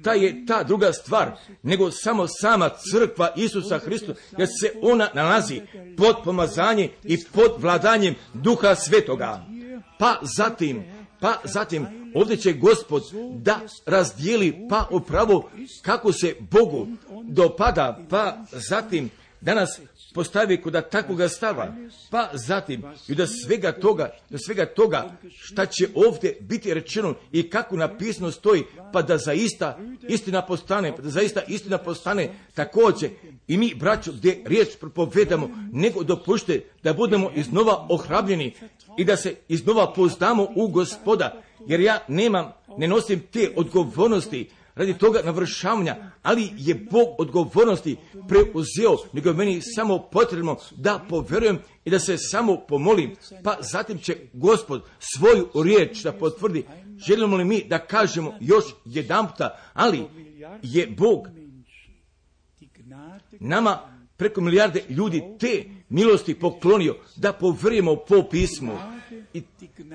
[SPEAKER 1] ta je ta druga stvar, nego samo sama crkva Isusa Hrista, jer se ona nalazi pod pomazanje i pod vladanjem Duha Svetoga. Pa zatim, pa zatim, ovdje će Gospod da razdijeli, pa upravo kako se Bogu dopada, pa zatim danas postavi kod takvoga stava, pa zatim i da svega toga, da svega toga šta će ovdje biti rečeno i kako napisano stoji, pa da zaista istina postane, pa da zaista istina postane također i mi, braćo, gdje riječ propovedamo, nego dopušte da budemo iznova ohrabljeni i da se iznova poznamo u Gospoda, jer ja nemam, ne nosim te odgovornosti radi toga navršavanja, ali je Bog odgovornosti preuzeo, nego je meni samo potrebno da poverujem i da se samo pomolim, pa zatim će Gospod svoju riječ da potvrdi. Želimo li mi da kažemo još jedanputa, ali je Bog nama preko milijarde ljudi te milosti poklonio da poverujemo po pismu. i,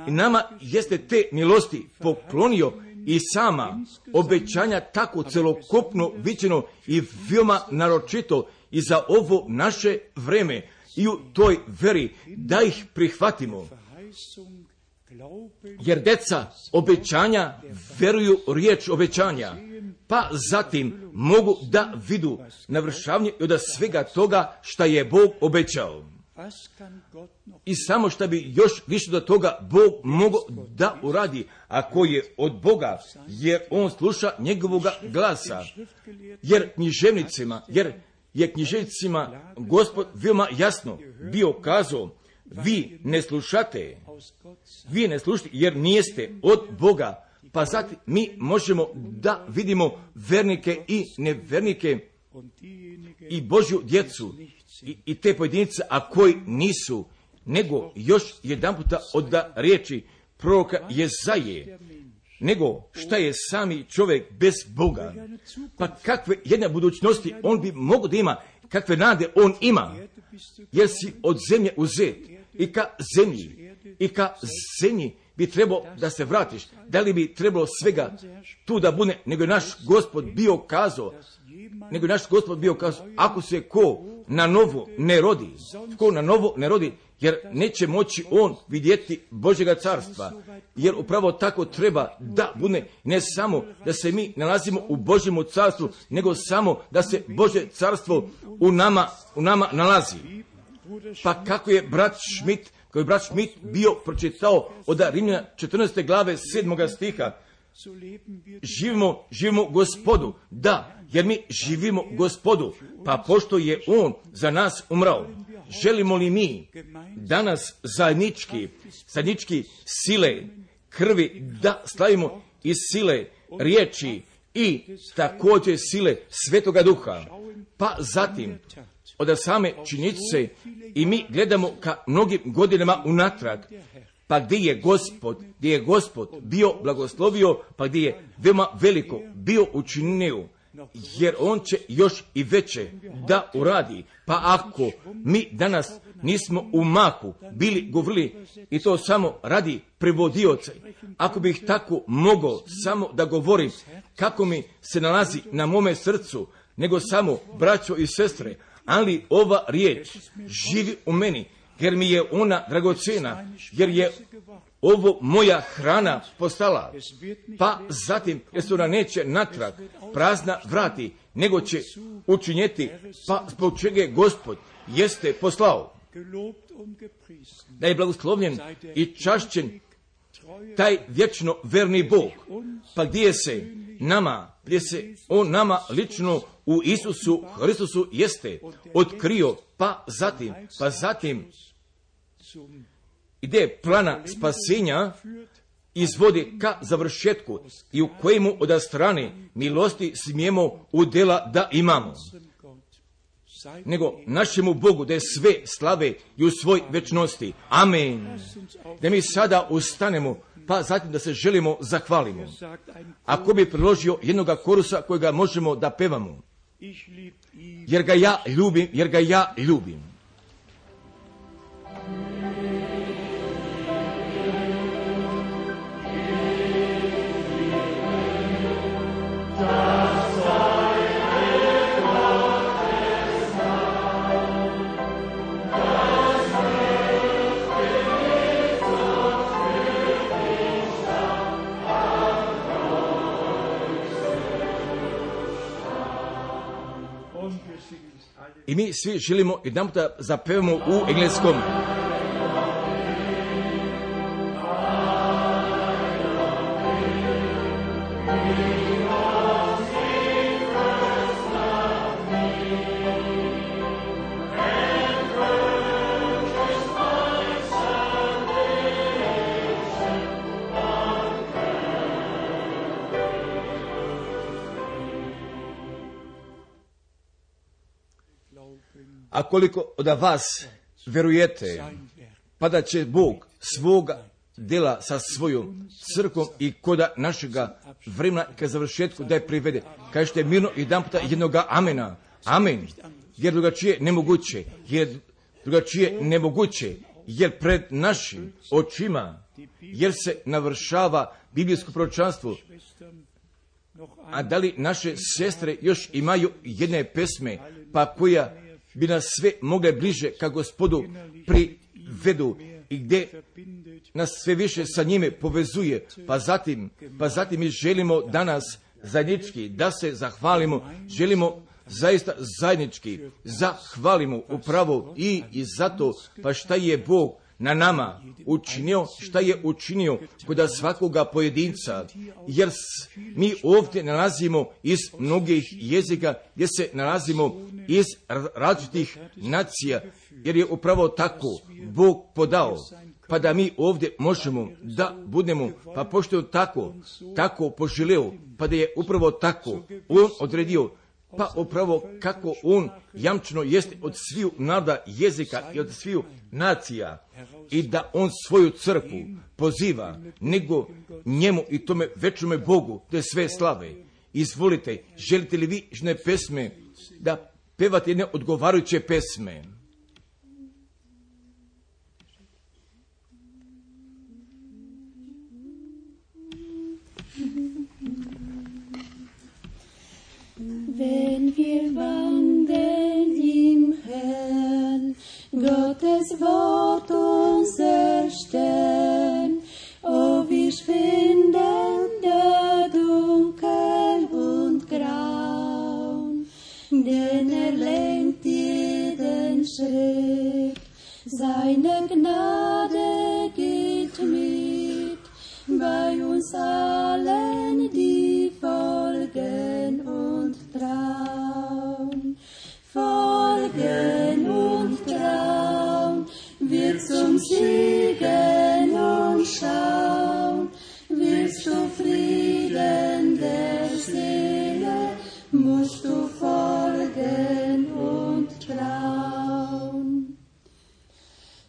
[SPEAKER 1] i nama jeste te milosti poklonio i sama obećanja tako celokupno viđeno i veoma naročito i za ovo naše vreme i u toj veri da ih prihvatimo. Jer deca obećanja veruju riječ obećanja, pa zatim mogu da vidu navršavanje od svega toga šta je Bog obećao. I samo šta bi još više do toga Bog mogao da uradi, ako je od Boga, jer on sluša njegovoga glasa. Jer književnicima, jer je književnicima Gospod veoma jasno bio kazao, vi ne slušate, vi ne slušate jer nijeste od Boga. Pa zatim mi možemo da vidimo vernike i nevernike i Božju djecu i, i te pojedinice, a koji nisu, nego još jedan puta od riječi proroka Jezaje, nego šta je sami čovjek bez Boga. Pa kakve jedne budućnosti on bi mogao da ima, kakve nade on ima, jer si od zemlje uzet i ka zemlji, i ka zemlji bi trebao da se vratiš. Da li bi trebalo svega tu da bude, nego je naš Gospod bio kazao, nego je naš Gospod bio kazao, ako se ko na novo ne rodi, ko na novo ne rodi, jer neće moći on vidjeti Božjega carstva, jer upravo tako treba da bude, ne samo da se mi nalazimo u Božjemu carstvu, nego samo da se Božje carstvo u nama, u nama nalazi. Pa kako je brat Schmidt, koji je brat Schmidt bio pročitao od Rimljana četrnaeste glave sedmoga stiha, živimo, živimo Gospodu, da, jer mi živimo Gospodu, pa pošto je on za nas umrao, želimo li mi danas zajednički, zajednički sile krvi da slavimo i sile riječi i također sile Svetoga Duha, pa zatim od same činjenice i mi gledamo ka mnogim godinama unatrag, pa gdje je Gospod, gdje je Gospod bio blagoslovio, pa gdje je veoma veliko bio učinio, jer on će još i veće da uradi. Pa ako mi danas nismo u mahu bili govorili i to samo radi prevodioca, ako bih tako mogao samo da govorim kako mi se nalazi na mome srcu, nego samo braćo i sestre, ali ova riječ živi u meni, jer mi je ona dragocjena, jer je ovo moja hrana postala. Pa zatim, jer se ona neće natrag prazna vrati, nego će učinjeti, pa zbog čega je Gospod jeste poslao. Da je blagoslovljen i čašćen taj vječno verni Bog, pa gdje se nama, gdje se on nama lično u Isusu Hristusu jeste otkrio, pa zatim, pa zatim ide plana spasenja izvodi ka završetku i u kojemu od strane milosti smijemo udjela da imamo. Nego našemu Bogu da je sve slave i u svoj večnosti. Amen. Da mi sada ustanemo, pa zatim da se želimo zahvalimo. Ako bi priložio jednoga korusa kojega možemo da pevamo, jer ga ja ljubim, jer ga ja ljubim. I mi svi želimo jedan puta zapevamo u engleskom. A koliko od vas verujete, pa da će Bog svoga dela sa svojom crkvom i koda našega vremena ka završetku da je privede. Kažete mirno jedan puta jednoga amena. Amen. Jer drugačije nemoguće. Jer drugačije nemoguće. jer pred našim očima, jer se navršava biblijsko proročanstvo. A da li naše sestre još imaju jedne pesme, pa koja bi nas sve mogle bliže ka Gospodu privedu i gdje nas sve više sa njime povezuje, pa zatim, pa zatim mi želimo danas zajednički da se zahvalimo, želimo zaista zajednički zahvalimo upravo i, i zato, pa šta je Bog na nama učinio, šta je učinio kod svakoga pojedinca, jer mi ovdje nalazimo iz mnogih jezika, gdje se nalazimo iz različitih nacija, jer je upravo tako Bog podao, pa da mi ovdje možemo da budemo, pa pošto je tako, tako poželeo, pa da je upravo tako On odredio, pa upravo kako On jamčeno jeste od sviju naroda, jezika i od sviju nacija, i da On svoju crkvu poziva, nego njemu i tome večnome Bogu, te sve slave. Izvolite, želite li vi žene pesme da pevate jedne odgovarajuće pesme?
[SPEAKER 2] Wenn wir wandeln im Herrn, Gottes Wort unser Stern, o wir schwinden da dunkel und grau, denn er lenkt jeden Schritt, seine Gnade geht mit, bei uns allen, die folgen und trauen, folgen und trauen, wir zum Siegen und schauen, willst du Frieden der Seele, musst du folgen und trauen.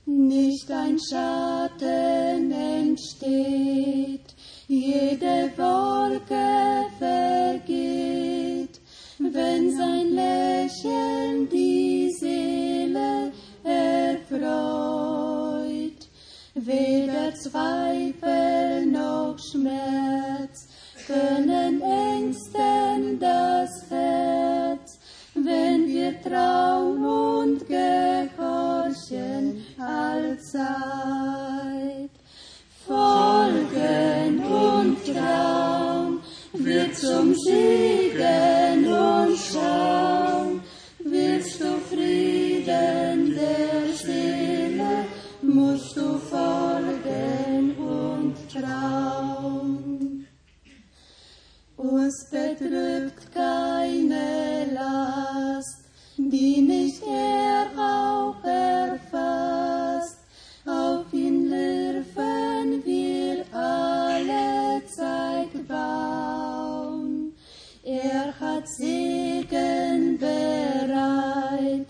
[SPEAKER 2] Nicht ein Schatten entsteht, jede Wolke vergeht, wenn sein Lächeln die Seele erfreut. Weder Zweifel noch Schmerz können ängsten das Herz, wenn wir trauen und gehorchen allzeit. Folgen und trauen, wir zum Siegen und schauen, willst du Frieden der Seele, musst du folgen und trauen. Uns bedrückt keine Last, die nicht er auch erfasst, auf ihn dürfen wir alle Zeit bauen. Er hat Segen bereit,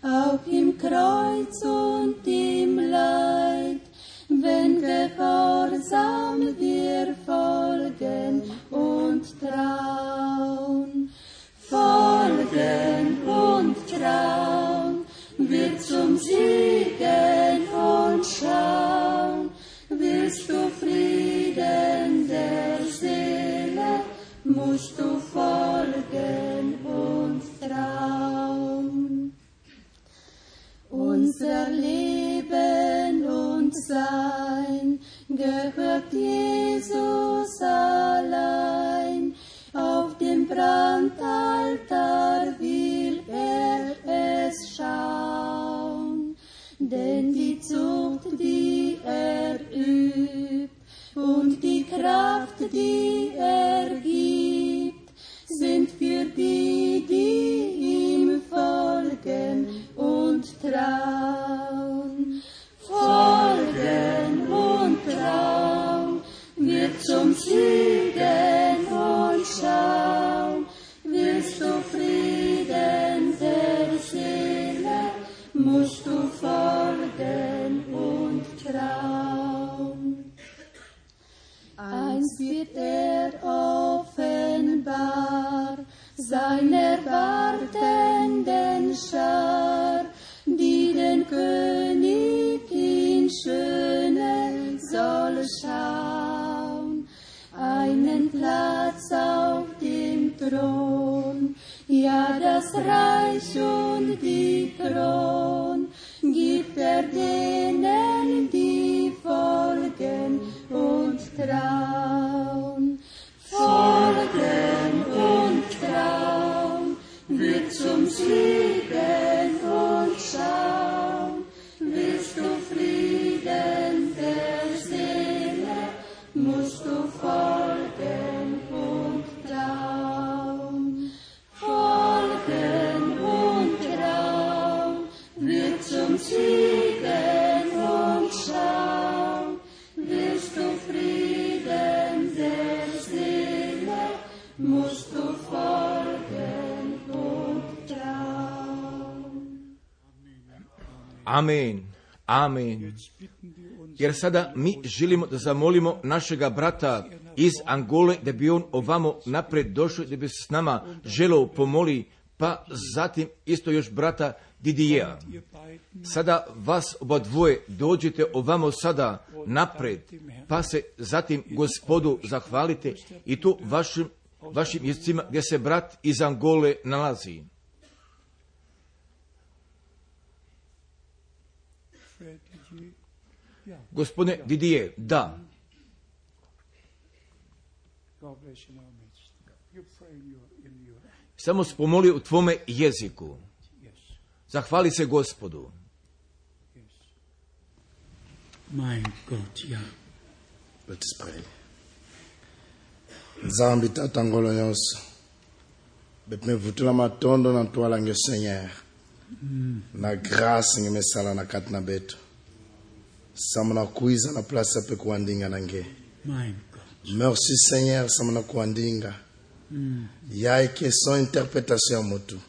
[SPEAKER 2] auch im Kreuz und im Leid, wenn gehorsam wir folgen und trauen. Folgen und trauen, wir zum Siegen und schauen, willst du Frieden der Seele, musst du folgen und trauen. Unser Leben und Sein gehört Jesus allein, auf dem Brandaltar will er es schauen, denn die Zucht, die er übt, und die Kraft, die er gibt, sind für die, die ihm folgen und trauen. Folgen und trauen, wird zum Siegen und schauen, willst du Frieden der Seele, musst du folgen und trauen. Einst wird er offenbar seiner wartenden Schar, die den König in und Siegen und Schaum, wirst du Frieden der Seele, musst du folgen und trauen.
[SPEAKER 1] Amen, amen. Jer sada mi želimo da zamolimo našega brata iz Angole da bi on ovamo napred došao, da bi s nama želeo pomoli, pa zatim isto još brata Didijea. Sada vas oba dvoje dođete ovamo sada napred, pa se zatim Gospodu zahvalite i tu vašim, vašim jezicima gdje se brat iz Angole nalazi. Gospodine Didije, da. Samo spomoli u tvome jeziku. Zahvali se Gospodu.
[SPEAKER 3] Mein Gott, ja.
[SPEAKER 4] Let us pray. Nzambi tata ngolo nyonso. Betme vutula matondo na twala nge Seigneur. Na grâce nge mesala na katna beto. Samana kuiza na place pe kuandinga nange.
[SPEAKER 3] Mein Gott.
[SPEAKER 4] Merci Seigneur samana kuandinga. Mm. Ya eke son interpretation motu.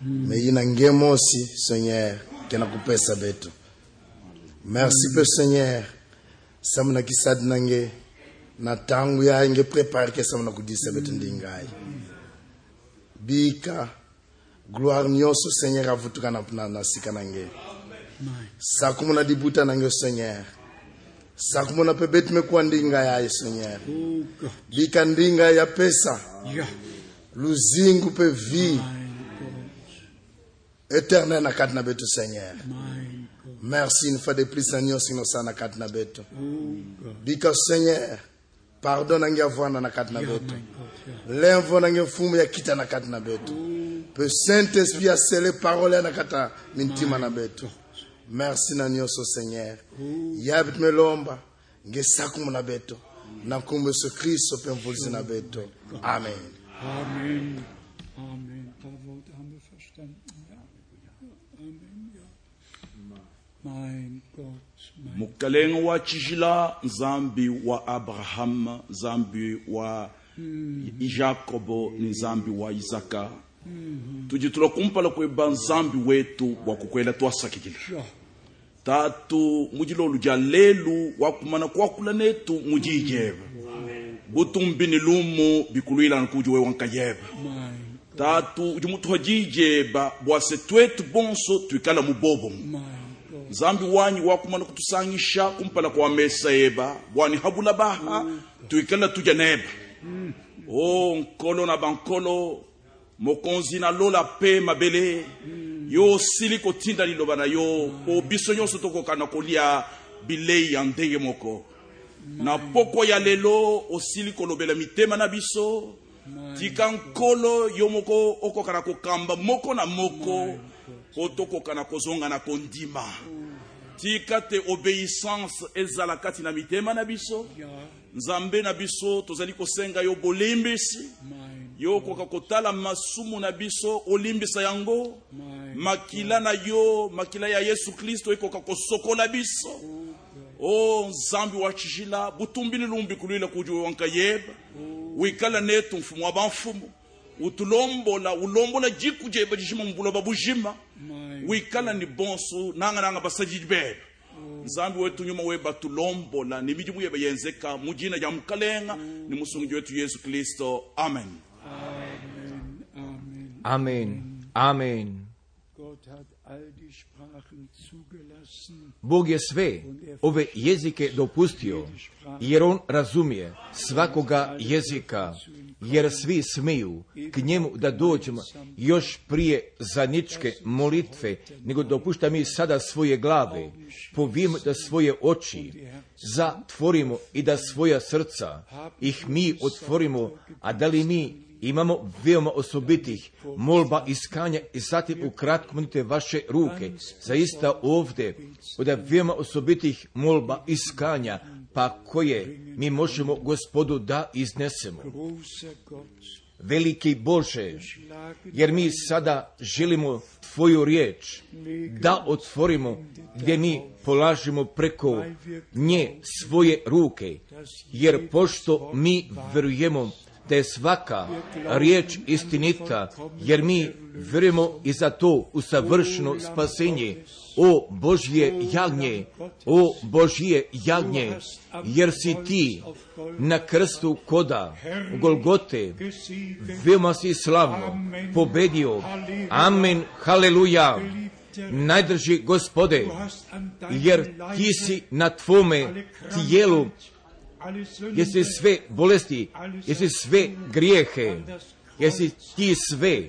[SPEAKER 4] Mm. Me yina nge mosi Seigneur kena kupesa beto. Merci mm. pe Seigneur samana kisad nange na tangu ya nge prepare ke samana kudisa beto ndingai. Bika gloire nyoso Seigneur avutuka na na sika nange. Sakumuna dibuta nange Seigneur. Sakumuna pebet me kuandinga ya Seigneur. Bika ndinga ya pesa. Luzingu pe vie. Éternel na katna beto Seigneur. Merci une fois de plus Seigneur sino sana katna beto. Bika Seigneur. Pardon nange avwana na katna beto. L'envo nange fumu ya kita na katna beto. Pe Saint-Esprit a scellé parole na kata mintima na beto. Merci na nyoso Seigneur. Yabit me lomba nge sakumu na beto. Na kumbe so Kristo pe mvulzi na beto. Amen.
[SPEAKER 3] Amen. Amen. Paar Worte haben wir verstanden. Ja. Amen. Ja. Mein Gott. Mein
[SPEAKER 5] Mukalenga wa chijila nzambi wa Abraham, nzambi wa Jacobo, nzambi wa Isaka. Mm-hmm. Tujitula kumpala kweba nzambi wetu wakukwela twasakikila. Yeah. Tatu mujilo luja lelu wakumana kwakula netu mujijeba. Butumbini lumu bikuluila nkujuwe wankayeba. Tatu ujumutu hajijeba bwase twetu bonso tuikala mubobo. Nzambi wanyi wakumana kutusangisha kumpala kwa mesa eba bwani habula baha tuikala tujaneba. Mm. Oh nkolo na bankolo mokonzi na lola pe mabele mm. yo siliko tinda liloba na yo po biso nyonso tokokana kolia bilei ya ndenge moko mm. na poko ya lelo osiliko lobela mitema na biso mm. tika nkolo yo moko okokana kokamba moko na moko mm. otokokana kozonga na kondima mm. tika te obéissance ezala kati na mitema na biso yeah. Nzambe na biso tozali kosenga yo bolimbisi yo koka kotala masumu na biso olimbisa yango makila na yo makila ya Yesu Kristo ekoka kosokola biso o Nzambi wa chijila butumbini lumbi kulila kujuwe wankayeba wikala netu mfumu wa banfumu utulombola ulombola jikujeba jishima mbula babujima wikala ni bonso nanga nanga basajibebe Nzambi wetu nyuma weba tulombola ni mijimu yeba yenzeka mujina ya mkalenga ni musungi wetu Yesu Kristo. Amen.
[SPEAKER 3] Amen. Amen.
[SPEAKER 1] Amen. Amen.
[SPEAKER 3] Gott hat all die Sprachen zugelassen.
[SPEAKER 1] Bog je sve ove jezike dopustio, jer on razumije svakoga jezika, jer svi smiju k njemu da dođemo još prije zadnjičke molitve, nego dopušta mi sada svoje glave, povijemo da svoje oči zatvorimo i da svoja srca ih mi otvorimo, a da li mi imamo veoma osobitih molba iskanja i zatim ukratko monite vaše ruke, zaista ovdje od veoma osobitih molba iskanja, pa koje mi možemo Gospodu da iznesemo. veliki Bože, jer mi sada želimo Tvoju riječ da otvorimo, gdje mi polažemo preko nje svoje ruke, jer pošto mi vjerujemo da je svaka riječ istinita, jer mi vjerujemo i za to usavršeno spasenje. O Božje jagnje, o Božje jagnje, jer si ti na krstu koda u Golgote veoma si slavno pobedio. Amen, haleluja. Najdrži Gospode, jer ti si na tvome tijelu, jesi sve bolesti, jesi sve grijehe, jesi ti sve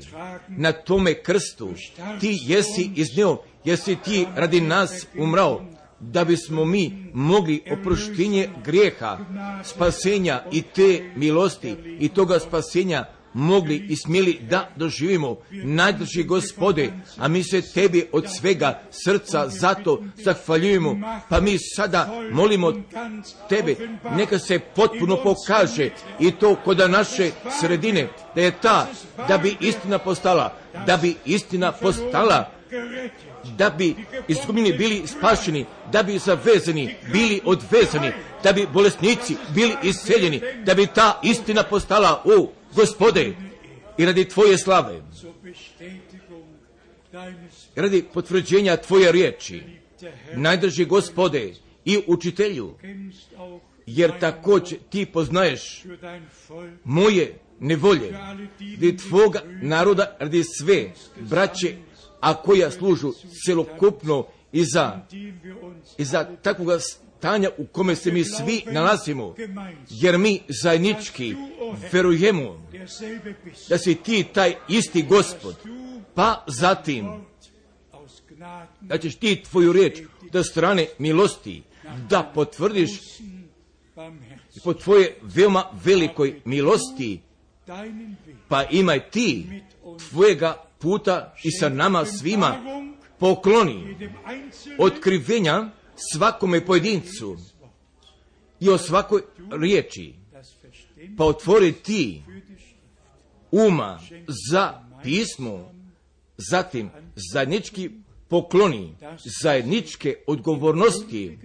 [SPEAKER 1] na tome krstu, ti jesi iznio, jesi ti radi nas umrao, da bismo mi mogli oproštenje grijeha, spasenja i te milosti i toga spasenja mogli i smjeli da doživimo. Najdrži Gospode, a mi se tebi od svega srca zato zahvaljujemo, pa mi sada molimo tebe, neka se potpuno pokaže i to kod naše sredine, da je ta, da bi istina postala, da bi istina postala, da bi izgubljeni bili spašeni, da bi zavezani bili odvezani, da bi bolesnici bili isceljeni, da bi ta istina postala, o Gospode, i radi Tvoje slave, radi potvrđenja Tvoje riječi, najdrži Gospode i učitelju, jer također ti poznaješ moje nevolje, radi Tvoga naroda, radi sve braće, a koja služu celokupno i za, i za takvoga stanja u kome se mi svi nalazimo, jer mi zajednički verujemo da si ti taj isti Gospod, pa zatim da ćeš ti Tvoju riječ do strane milosti da potvrdiš po Tvoje veoma velikoj milosti, pa imaj ti Tvojega puta i sa nama svima pokloni otkrivenja svakome pojedincu i o svakoj riječi, pa otvori ti uma za pismo, zatim zajednički pokloni zajedničke odgovornosti,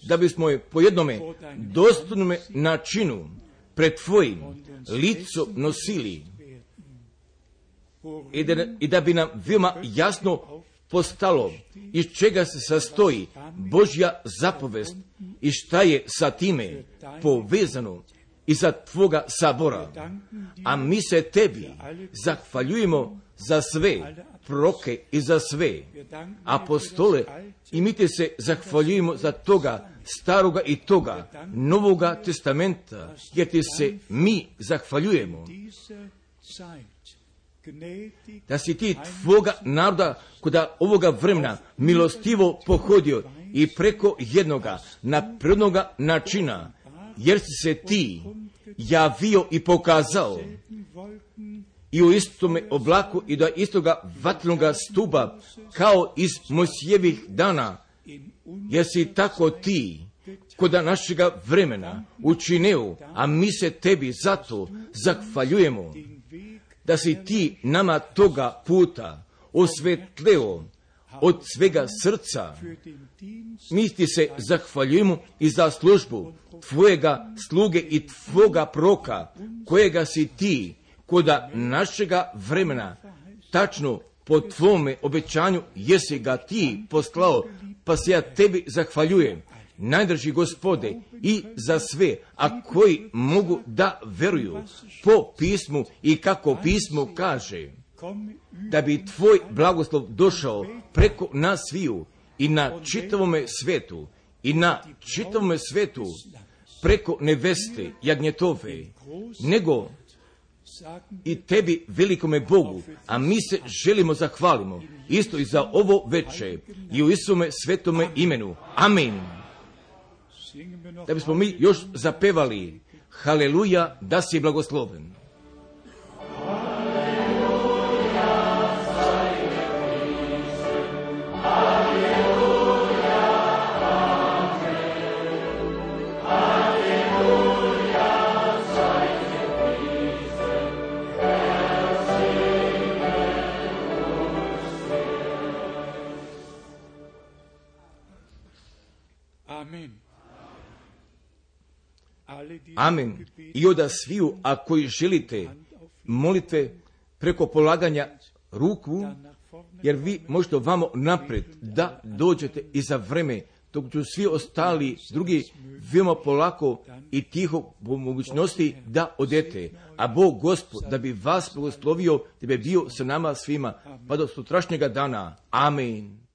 [SPEAKER 1] da bismo je po jednome dostojnome načinu pred Tvojim licom nosili i da, i da bi nam veoma jasno postalo iz čega se sastoji Božja zapovest i šta je sa time povezano iza Tvoga sabora. A mi se Tebi zahvaljujemo za sve proroke i za sve apostole i mi te se zahvaljujemo za toga staroga i toga novoga testamenta, jer ti se mi zahvaljujemo da si ti Tvoga naroda koda ovoga vremena milostivo pohodio i preko jednoga naprednoga načina, jer si se ti javio i pokazao i u istome oblaku i do istoga vatrenoga stuba kao iz Mojsijevih dana, jer si tako ti koda našega vremena učinio, a mi se Tebi zato zahvaljujemo da si ti nama toga puta osvetleo od svega srca. Mi ti se zahvaljujemo i za službu Tvojega sluge i Tvoga proka, kojega si ti koda našega vremena tačno po Tvome obećanju jesi ga ti poslao, pa se ja Tebi zahvaljujem, najdrži Gospode, i za sve, a koji mogu da veruju po pismu i kako pismo kaže, da bi Tvoj blagoslov došao preko nas sviju i na čitavome svetu, i na čitavome svetu preko neveste jagnjetove, nego i Tebi velikome Bogu, a mi se želimo zahvalimo isto i za ovo veče i u Isuse svetome imenu. Amin. Da bismo mi još zapevali haleluja, da si blagosloven.
[SPEAKER 2] Hallelujah,
[SPEAKER 1] Amen. I od sviju, a koji želite molite preko polaganja ruku, jer vi možete ovamo napred da dođete i za vreme, dok ću svi ostali drugi veoma polako i tiho po mogućnosti da odete. A Bog Gospod da bi vas blagoslovio, da bi bio sa nama svima, pa do sutrašnjega dana. Amen.